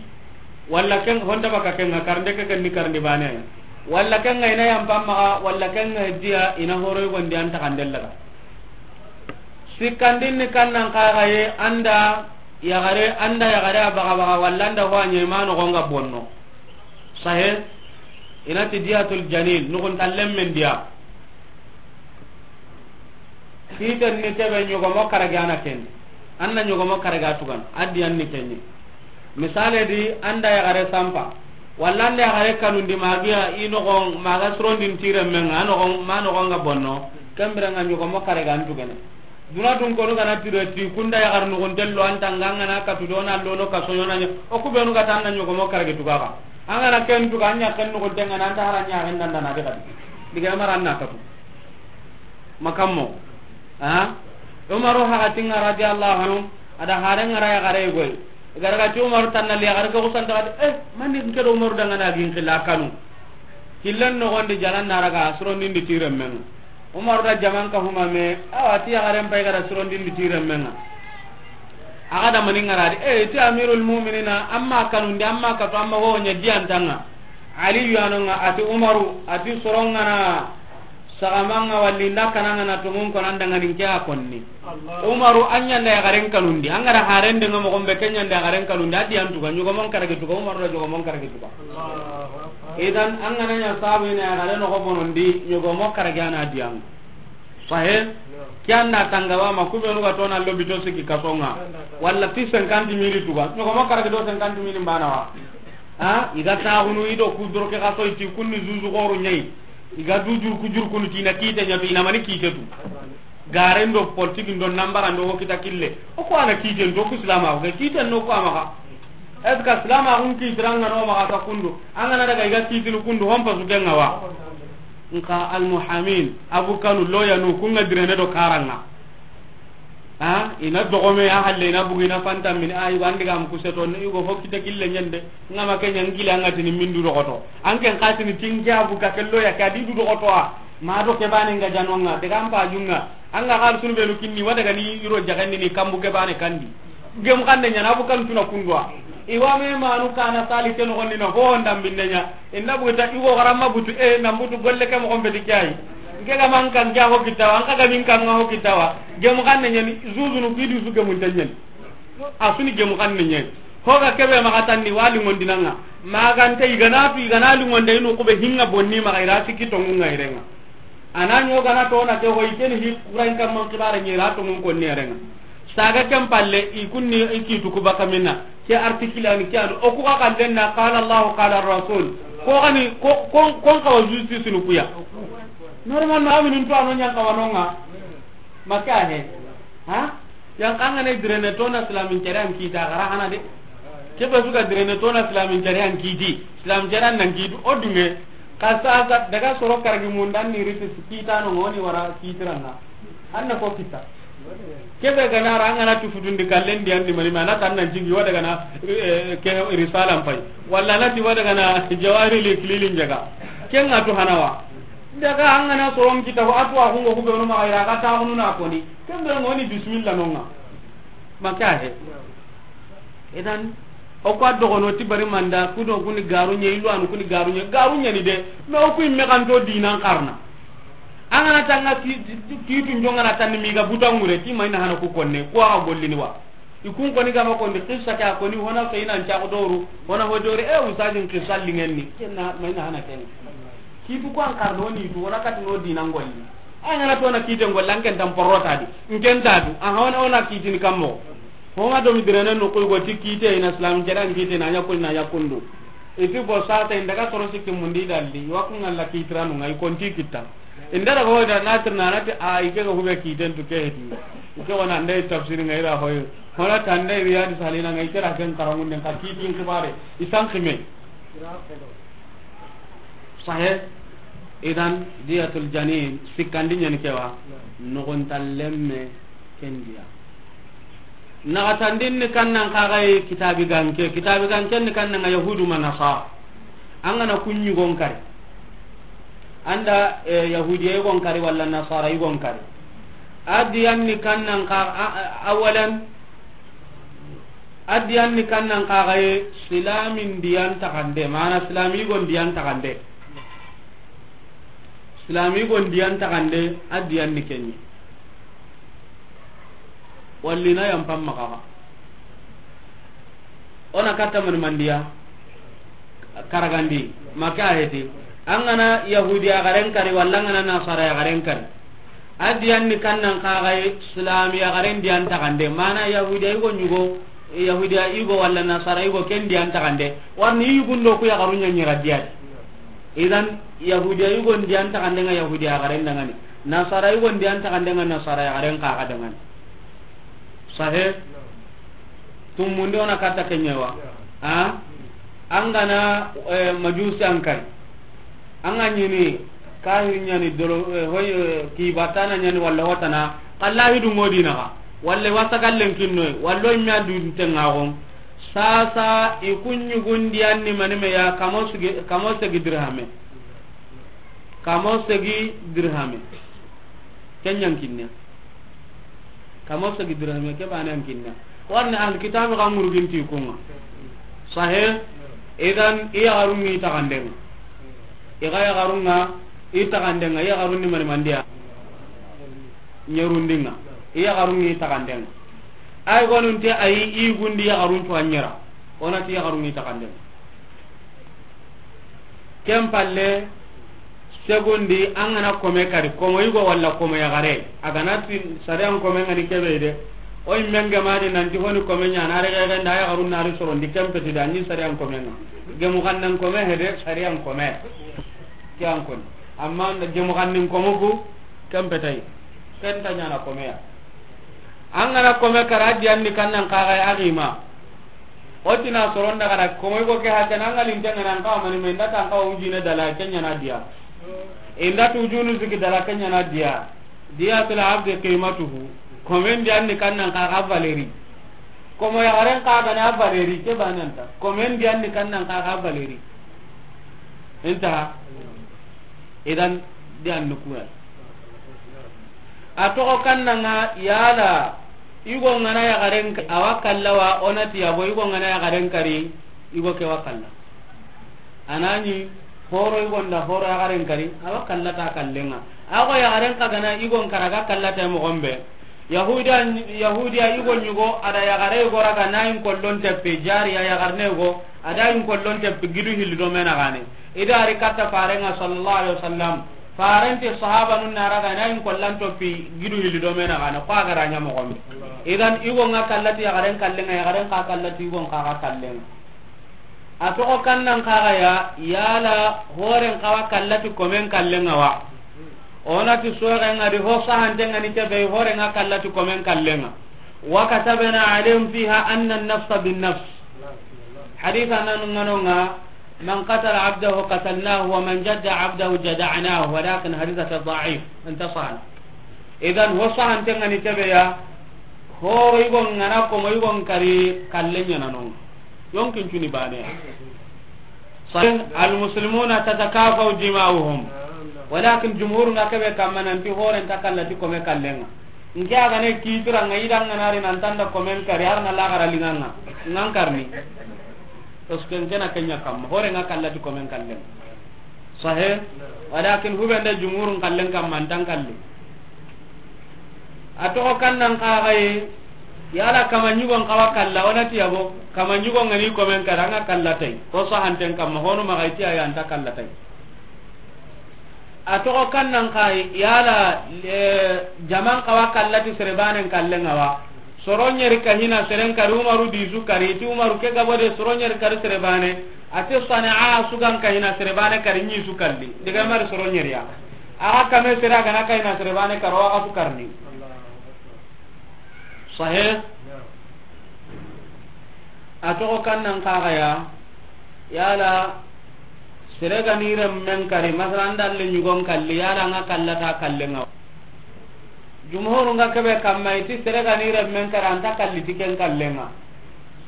walla ken honta baka ken ŋa karnde ke ken ni karndi bane. Walla ken ŋa i na yampan maxa, walla ken ŋa diya i na horo yugondi an taxande laga. Sikkandin ni kannan xaxaye, an da yaxare, an da yaxare a baxa baxa, walla an da ho a ɲa i ma noxon ŋa bonno. Sahe, i na ti diyatul janin, nuxuntallen men diya. Kiten ni kebe ɲogomo karage a na ken. An na ɲogomo karage a tugan, a diyan ni kenye. Misale di, an da yaxare sampa. Walla an da yaxare kanundi ma giya i noxon, ma ga sirondin ti renmen ŋa, a noxon, ma noxon ŋa bonno. Ken biren ŋa ɲogomo karage an tugene. Duna dun konu ga na tire ti kunda yaxar nuxunten lo an ta ŋa, an ga na katu do na lono kaso ɲo na ɲa. O ku benu ga ta an na ɲogomo karage tuga xa. An ga na ken tuga, an ɲa ken nuxunten ŋa na an ta hara ɲa ken danda na de kadi. Diga mara an na katu. Makammo. Ha? Umaru hakatin ŋa radiyallahu anhu, a da haren ŋa ra yaxare goy. Garagati Umaru tanna li yaxare ko santa kadi, eh, mani nke do Umaru dangana gin xilla kanu. Killen noxondi jalan na raga sirondin di ti renmen ŋa. Umaru da jaman ka huma me, awa ti yaxaren pay ga da sirondin di ti renmen ŋa. A ga da mani ŋa ra di, eh, ti Amirul Mu'minina, amma kanundi, amma katu, amma ho ɲa diyan ta ŋa. Aliyu ya no ŋa, a ti Umaru, a ti soron ŋa na saxaman ŋa walli nda kanan ŋa na tongun ko nan dangani nke a konni. Umaru, an ɲa nda yaxaren kanundi, an ga da haren de ŋa moxo be, ken ɲa nda yaxaren kanundi, a diyan tuga, ɲogomon karage tuga, Umaru da ɲogomon karage tuga. Idan, an ga na ɲa sabu i na yaxare noxo bonondi, ɲogomo karage a na diyan. Sahe, ke an da tanga ba ma, ku benu ga to na lobito siki kaso ŋa, walla ti cinquante mille tuga, ɲogomo karage do cinquante mille bana wa. Ha, i ga taxunu i do ku doroke xaso i ti kunni zuzu xoro ɲa yi. I ga du jurku jurkunu ti i na kite ɲa tu, i na mani kite tu. Garen do politique ndo nambara ndo wo kita kille. O ko a na kiten to ku silama ko kiten no ko a maxa. Est-ce que silama kun kitiran ŋa no maxa ka kundu? An ga na daga i ga kitini kundu, hon pasu ken ŋa wa. Nka almuhamin, abukanu, loyanu, kun ŋa direne do karan ŋa. Ha, i na dogome ya halle, i na bugu, i na fanta mini, a, i ga andi ga mu kuseto, i go fo kite kille ɲende. Ŋa ma ke ɲa n kile an ga tini mindu dogoto. An ken xatini tinke abu ka kello ya ka di du dogoto a. Ma do ke bane ŋa janon ŋa, daga an pajun ŋa. An ga xal sunu benu kinni, wa daga ni iro jaganni ni kambu ke bane kandi. Gem xande ɲa na bu kan tuna kundwa. I wa me manu kana sali ke noxondi na ho ndam binne ɲa. Inda bu ta i go garamma butu, e, na butu golle ke moxon beti ke ay. Nke ga man kan ja ho kitawa, an ka ga min kan ŋa ho kitawa. Gem xande ɲa ni, zuzunu ki du su gemun ta ɲa ni. A suni gemu xanne ɲe. Hoga kebe maxa tanni wali ngondinanga. Magante i gana tu, i gana li ngonde inu kube hinga bonni maxa, i ra sikki tongu nga i renga. A na ɲo gana to na ke hoy keni hi kuran kam man xibare ɲe ra tongu konni i renga. Saga ken palle i kunni i kitu ku baka minna. Ke article ani ke anu o ku ga kallen na qala Allah qala Rasul. Ko gani ko, ko, ko n kawa justice nu kuya. Normalement aminin to ano ɲan kawanonga. Maka he. Ha? Yan kanga ne direne to na islamin carian kita gara hana de. Kebe suka direne to na islamin carian kiti. Islam carian nan kitu o dunge. Ka sa sa daga soro karagi mundan ni riti kita no ngoni wara kitiranga. Anna ko kita. Kebe gana ra ngana tu futundi kallen di andi mani mana tan nan jigi wada gana, eh, ke risala mpai. Walla na ti wada gana jawari li kililin jaga. Kenga to hanawa. Daga an gana soron kita ho atu a hungo hube no ma ira ka ta hunu na koni. Kembe ngoni bismillah nonga. Maka he. Idan o ko dogono ti bari manda kudo kuni garu nye ilu anu kuni garu nye garu nye ni de. Me o ku imme kan to dinan karna. An ga na tanga ki, ki, kiitu n jonga na tanni mi ga buta ŋure, ti ma i na hana ku konne, ku a ga gollini wa. I kun koni ga ma kondi, qissa ke a koni, hona fe i na n caxu doru, hona ho doru, e, ustazin qissa lingenni, ken na, ma i na hana ken. Kiitu ku an karno ni tu, wala kati no dinan golli. An ga na to na kiiten golla, an ken tan porota di, n ken ta tu, a hona, hona kiitini kammo. Homa do mi direne no ko go ti kiite i na islam jara n kiite na nya ko na nya kundu. Iti bo sa ta inda ga toro sikki mundi dalli, wa kun Allah kiitiranu ngai konti kitta. Inda daga hoyda na tirna na ti a ike ga hube kiiten tu ke heti. Ike wana ndai tafsiri ngai ra hoy. Hona tande riyadi salina ngai kera ken karamun den ka kiitin kibare. Isan kime. Sahih. Idan diyatul janin sikkandi nyani kewa. Nogon tallemme kendiya. Naxatandin ni kannan kaxaye kitabi ganke, kitabi ganken ni kannan ga yahudu ma nasara. An ga na kunyugon kari. Anda, eh, yahudiya yugon kari wala nasara yugon kari. A diyan ni kannan ka, a, a, awalan, a diyan ni kannan kaxaye silamin diyan taxande, mana silami yugon diyan taxande. Silami yugon diyan taxande, a diyan ni kenye. Walli na yampan maxaxa. O na katta mani mandiya. Karagandi. Maka heti. An ga na yahudiya garen kari, wala an ga na nasara ya garen kari. A diyan ni kannan kaxaye silami ya garen diyan taxande. Mana yahudiya yugo nyugo, yahudiya yugo wala nasara yugo ken diyan taxande. Warni yugundo ku ya garunya nyira diyadi. Idan, yahudiya yugon diyan taxande nga yahudiya garen dangani. Nasara yugon diyan taxande nga nasara ya garen kaxa dangani. Sahe? Tumundi o na katta kenyewa. Ha? An ga na, eh, majusi an kari. An ga nyini kahir nyani doro, eh, hoy, eh, kibatana nyani wala watana. Kallahi du ngodi naxa. Wala wasa kallen kinnoy. Wala o imya du tengaxon. Sasa i kunyugun diyan ni mani me ya kamo segi, kamo segi dirhame. Kamo segi dirhame. Kenyan kinne. Kamo segi dirhame ke banan kinne. Warni ahli kitabi ga ngurugin ti kunga. Sahe? Idan iya garungi taxandenga. Iga ya garunga i taxandenga, iya garunni mani mandiya. Nyerundinga. Iya garungi taxandenga. Ay gonunte ay i gundi ya garun to anyera. Onati ya garungi taxandenga. Ken palle, segundi, an ga na kome kari, komo yugo wala komo ya gare. A ga na ti sariyan kome ngani kebe de. O imme nge ma de nanti honi kome nya na re ga nda ya garun na re sorondi ken peti da ni sariyan kome nga. Gemu kan nan kome hede sariyan kome. Ke an koni. Amma nda gemu kan nin kome ku ken petai. Ken ta nya na kome ya. An ga na kome kara diyan ni kannan kaxaye a gima. O tina soron daga da komo yugo ke hakana an ga linte ngana an kawa mani me nda tan kawa ujine dala kenya na diya. Inda tu ujunu sigi dala kenya na diya. Diyatul abdi qimatuhu. Komen diyan ni kannan kaxa valeri. Komo ya garen kaga na valeri ke bananta. Komen diyan ni kannan kaxa valeri. Inta. Idan diyan ni kuwa. A toxo kannanga yala, yugo ngana yaxaren ka-, awa kalla wa, onati yabo, yugo ngana yaxaren kari, yugo ke wa kalla. Anani, horo yugo nda horo yaxaren kari, awa kalla ta kallenga. Ago yaxaren ka gana yugo nkara ga kalla ta moxon be. Yahudiya, Yahudiya yugo nyugo, ada yaxare yugo raga na yin kollon teppe, jariya yaxarne yugo, ada yin kollon teppe, gidu hilli do mena gane. Ida ari katta farenga sallallahu alaihi wasallam. Farenti sahabanun na raga na in kollan toppi gidu hilli do mena gana ko a gara nya moxon be. Idan yugo nga kallati yaxaren kallenga, yaxaren ka kallati yugo nga ka kallenga. A toxo kannan kaga ya, yala horen kawa kallati komen kallenga wa. Onati soxen nga di ho sahanten nga ni kebe horen nga kallati komen kallenga. Wa katabna alayhim fiha anna an-nafsa bin-nafs. Haditha nan nganonga, من قتل عبده قتلناه ومن جدع عبده جدعناه، ولكن حديث ضعيف، انتصر. Idan, ho sahanten nga ni kebe ya, horo yugo ngana komo yugo nkari kallen ɲa na nonga. Yonkin cuni bane ya. Sahih, المسلمون تتكافأ دماؤهم. Walakin jumhur nga kebe kamma nanti horen ta kallati kome kallenga. Nke a gane kitura nga ida nga nari nan tanda komen kari, har na lagara linganga. Ngan karni. Parce que nke na kenya kamma, hore nga kallati komen kallenga. Sahe. Walakin hubende jumhurun kallen kamma an ta kalli. A toxo kannan kaxaye, yala kama ɲugon kawa kalla, wona ti yabo, kama ɲugon ŋa ni komen kara, an ga kalla tay. Ko sahanten kamma, honu maxa i ti ayi an ta kalla tay. A toxo kannan kaxaye, yala, eh, jaman kawa kalla ti sere banen kallen ŋa wa. Soro ɲeri ka hina seren kari, Umaru di su kari, ti Umaru ke gabo de soro ɲeri kari sere bane, a ti Sana'a su ga n ka hina sere bane kari ɲi su kalli. Diga mari soro ɲeri ya. A ga kame sere a ga na ka hina sere bane karo, a ga su karni. Sahe. A toxo kannan kaxaya, yala, sere ga ni remmen kari, masala an da le ɲugon kalli, yala an ga kalla ta kallen ŋa. Jumhurun ga kebe kamma i ti sere ga ni remmen kari, an ta kalli ti ken kallen ŋa.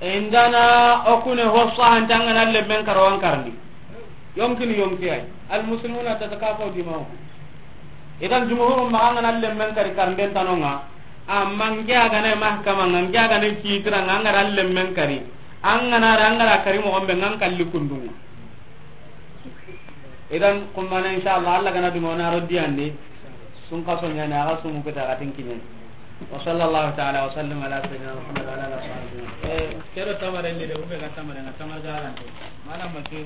E indana o kune ho sahanten ŋa na lemmen karo an karni. Yonkini yonki ay. Al muslimuna tatakafa dima'uhum. Idan jumhurun maxa an ga na lemmen kari karnden tanonga. Amma n ke a ga na mahkama nga, n ke a ga na kitira nga, an ga na lemmen kari. An ga na ra, an ga na kari mo gombe nga an kalli kundunga. Idan kummana inshallah Allah ga na duma na rodiyandi. Sun kaso ɲani a ga sumu kita ga tin kiɲe. Wa sallallahu ta'ala wa sallam ala sayyidina Muhammad wa ala alihi wa sahbihi. Eh, kero tamare ni de, ube ga tamare na tamar garante. Mana makin.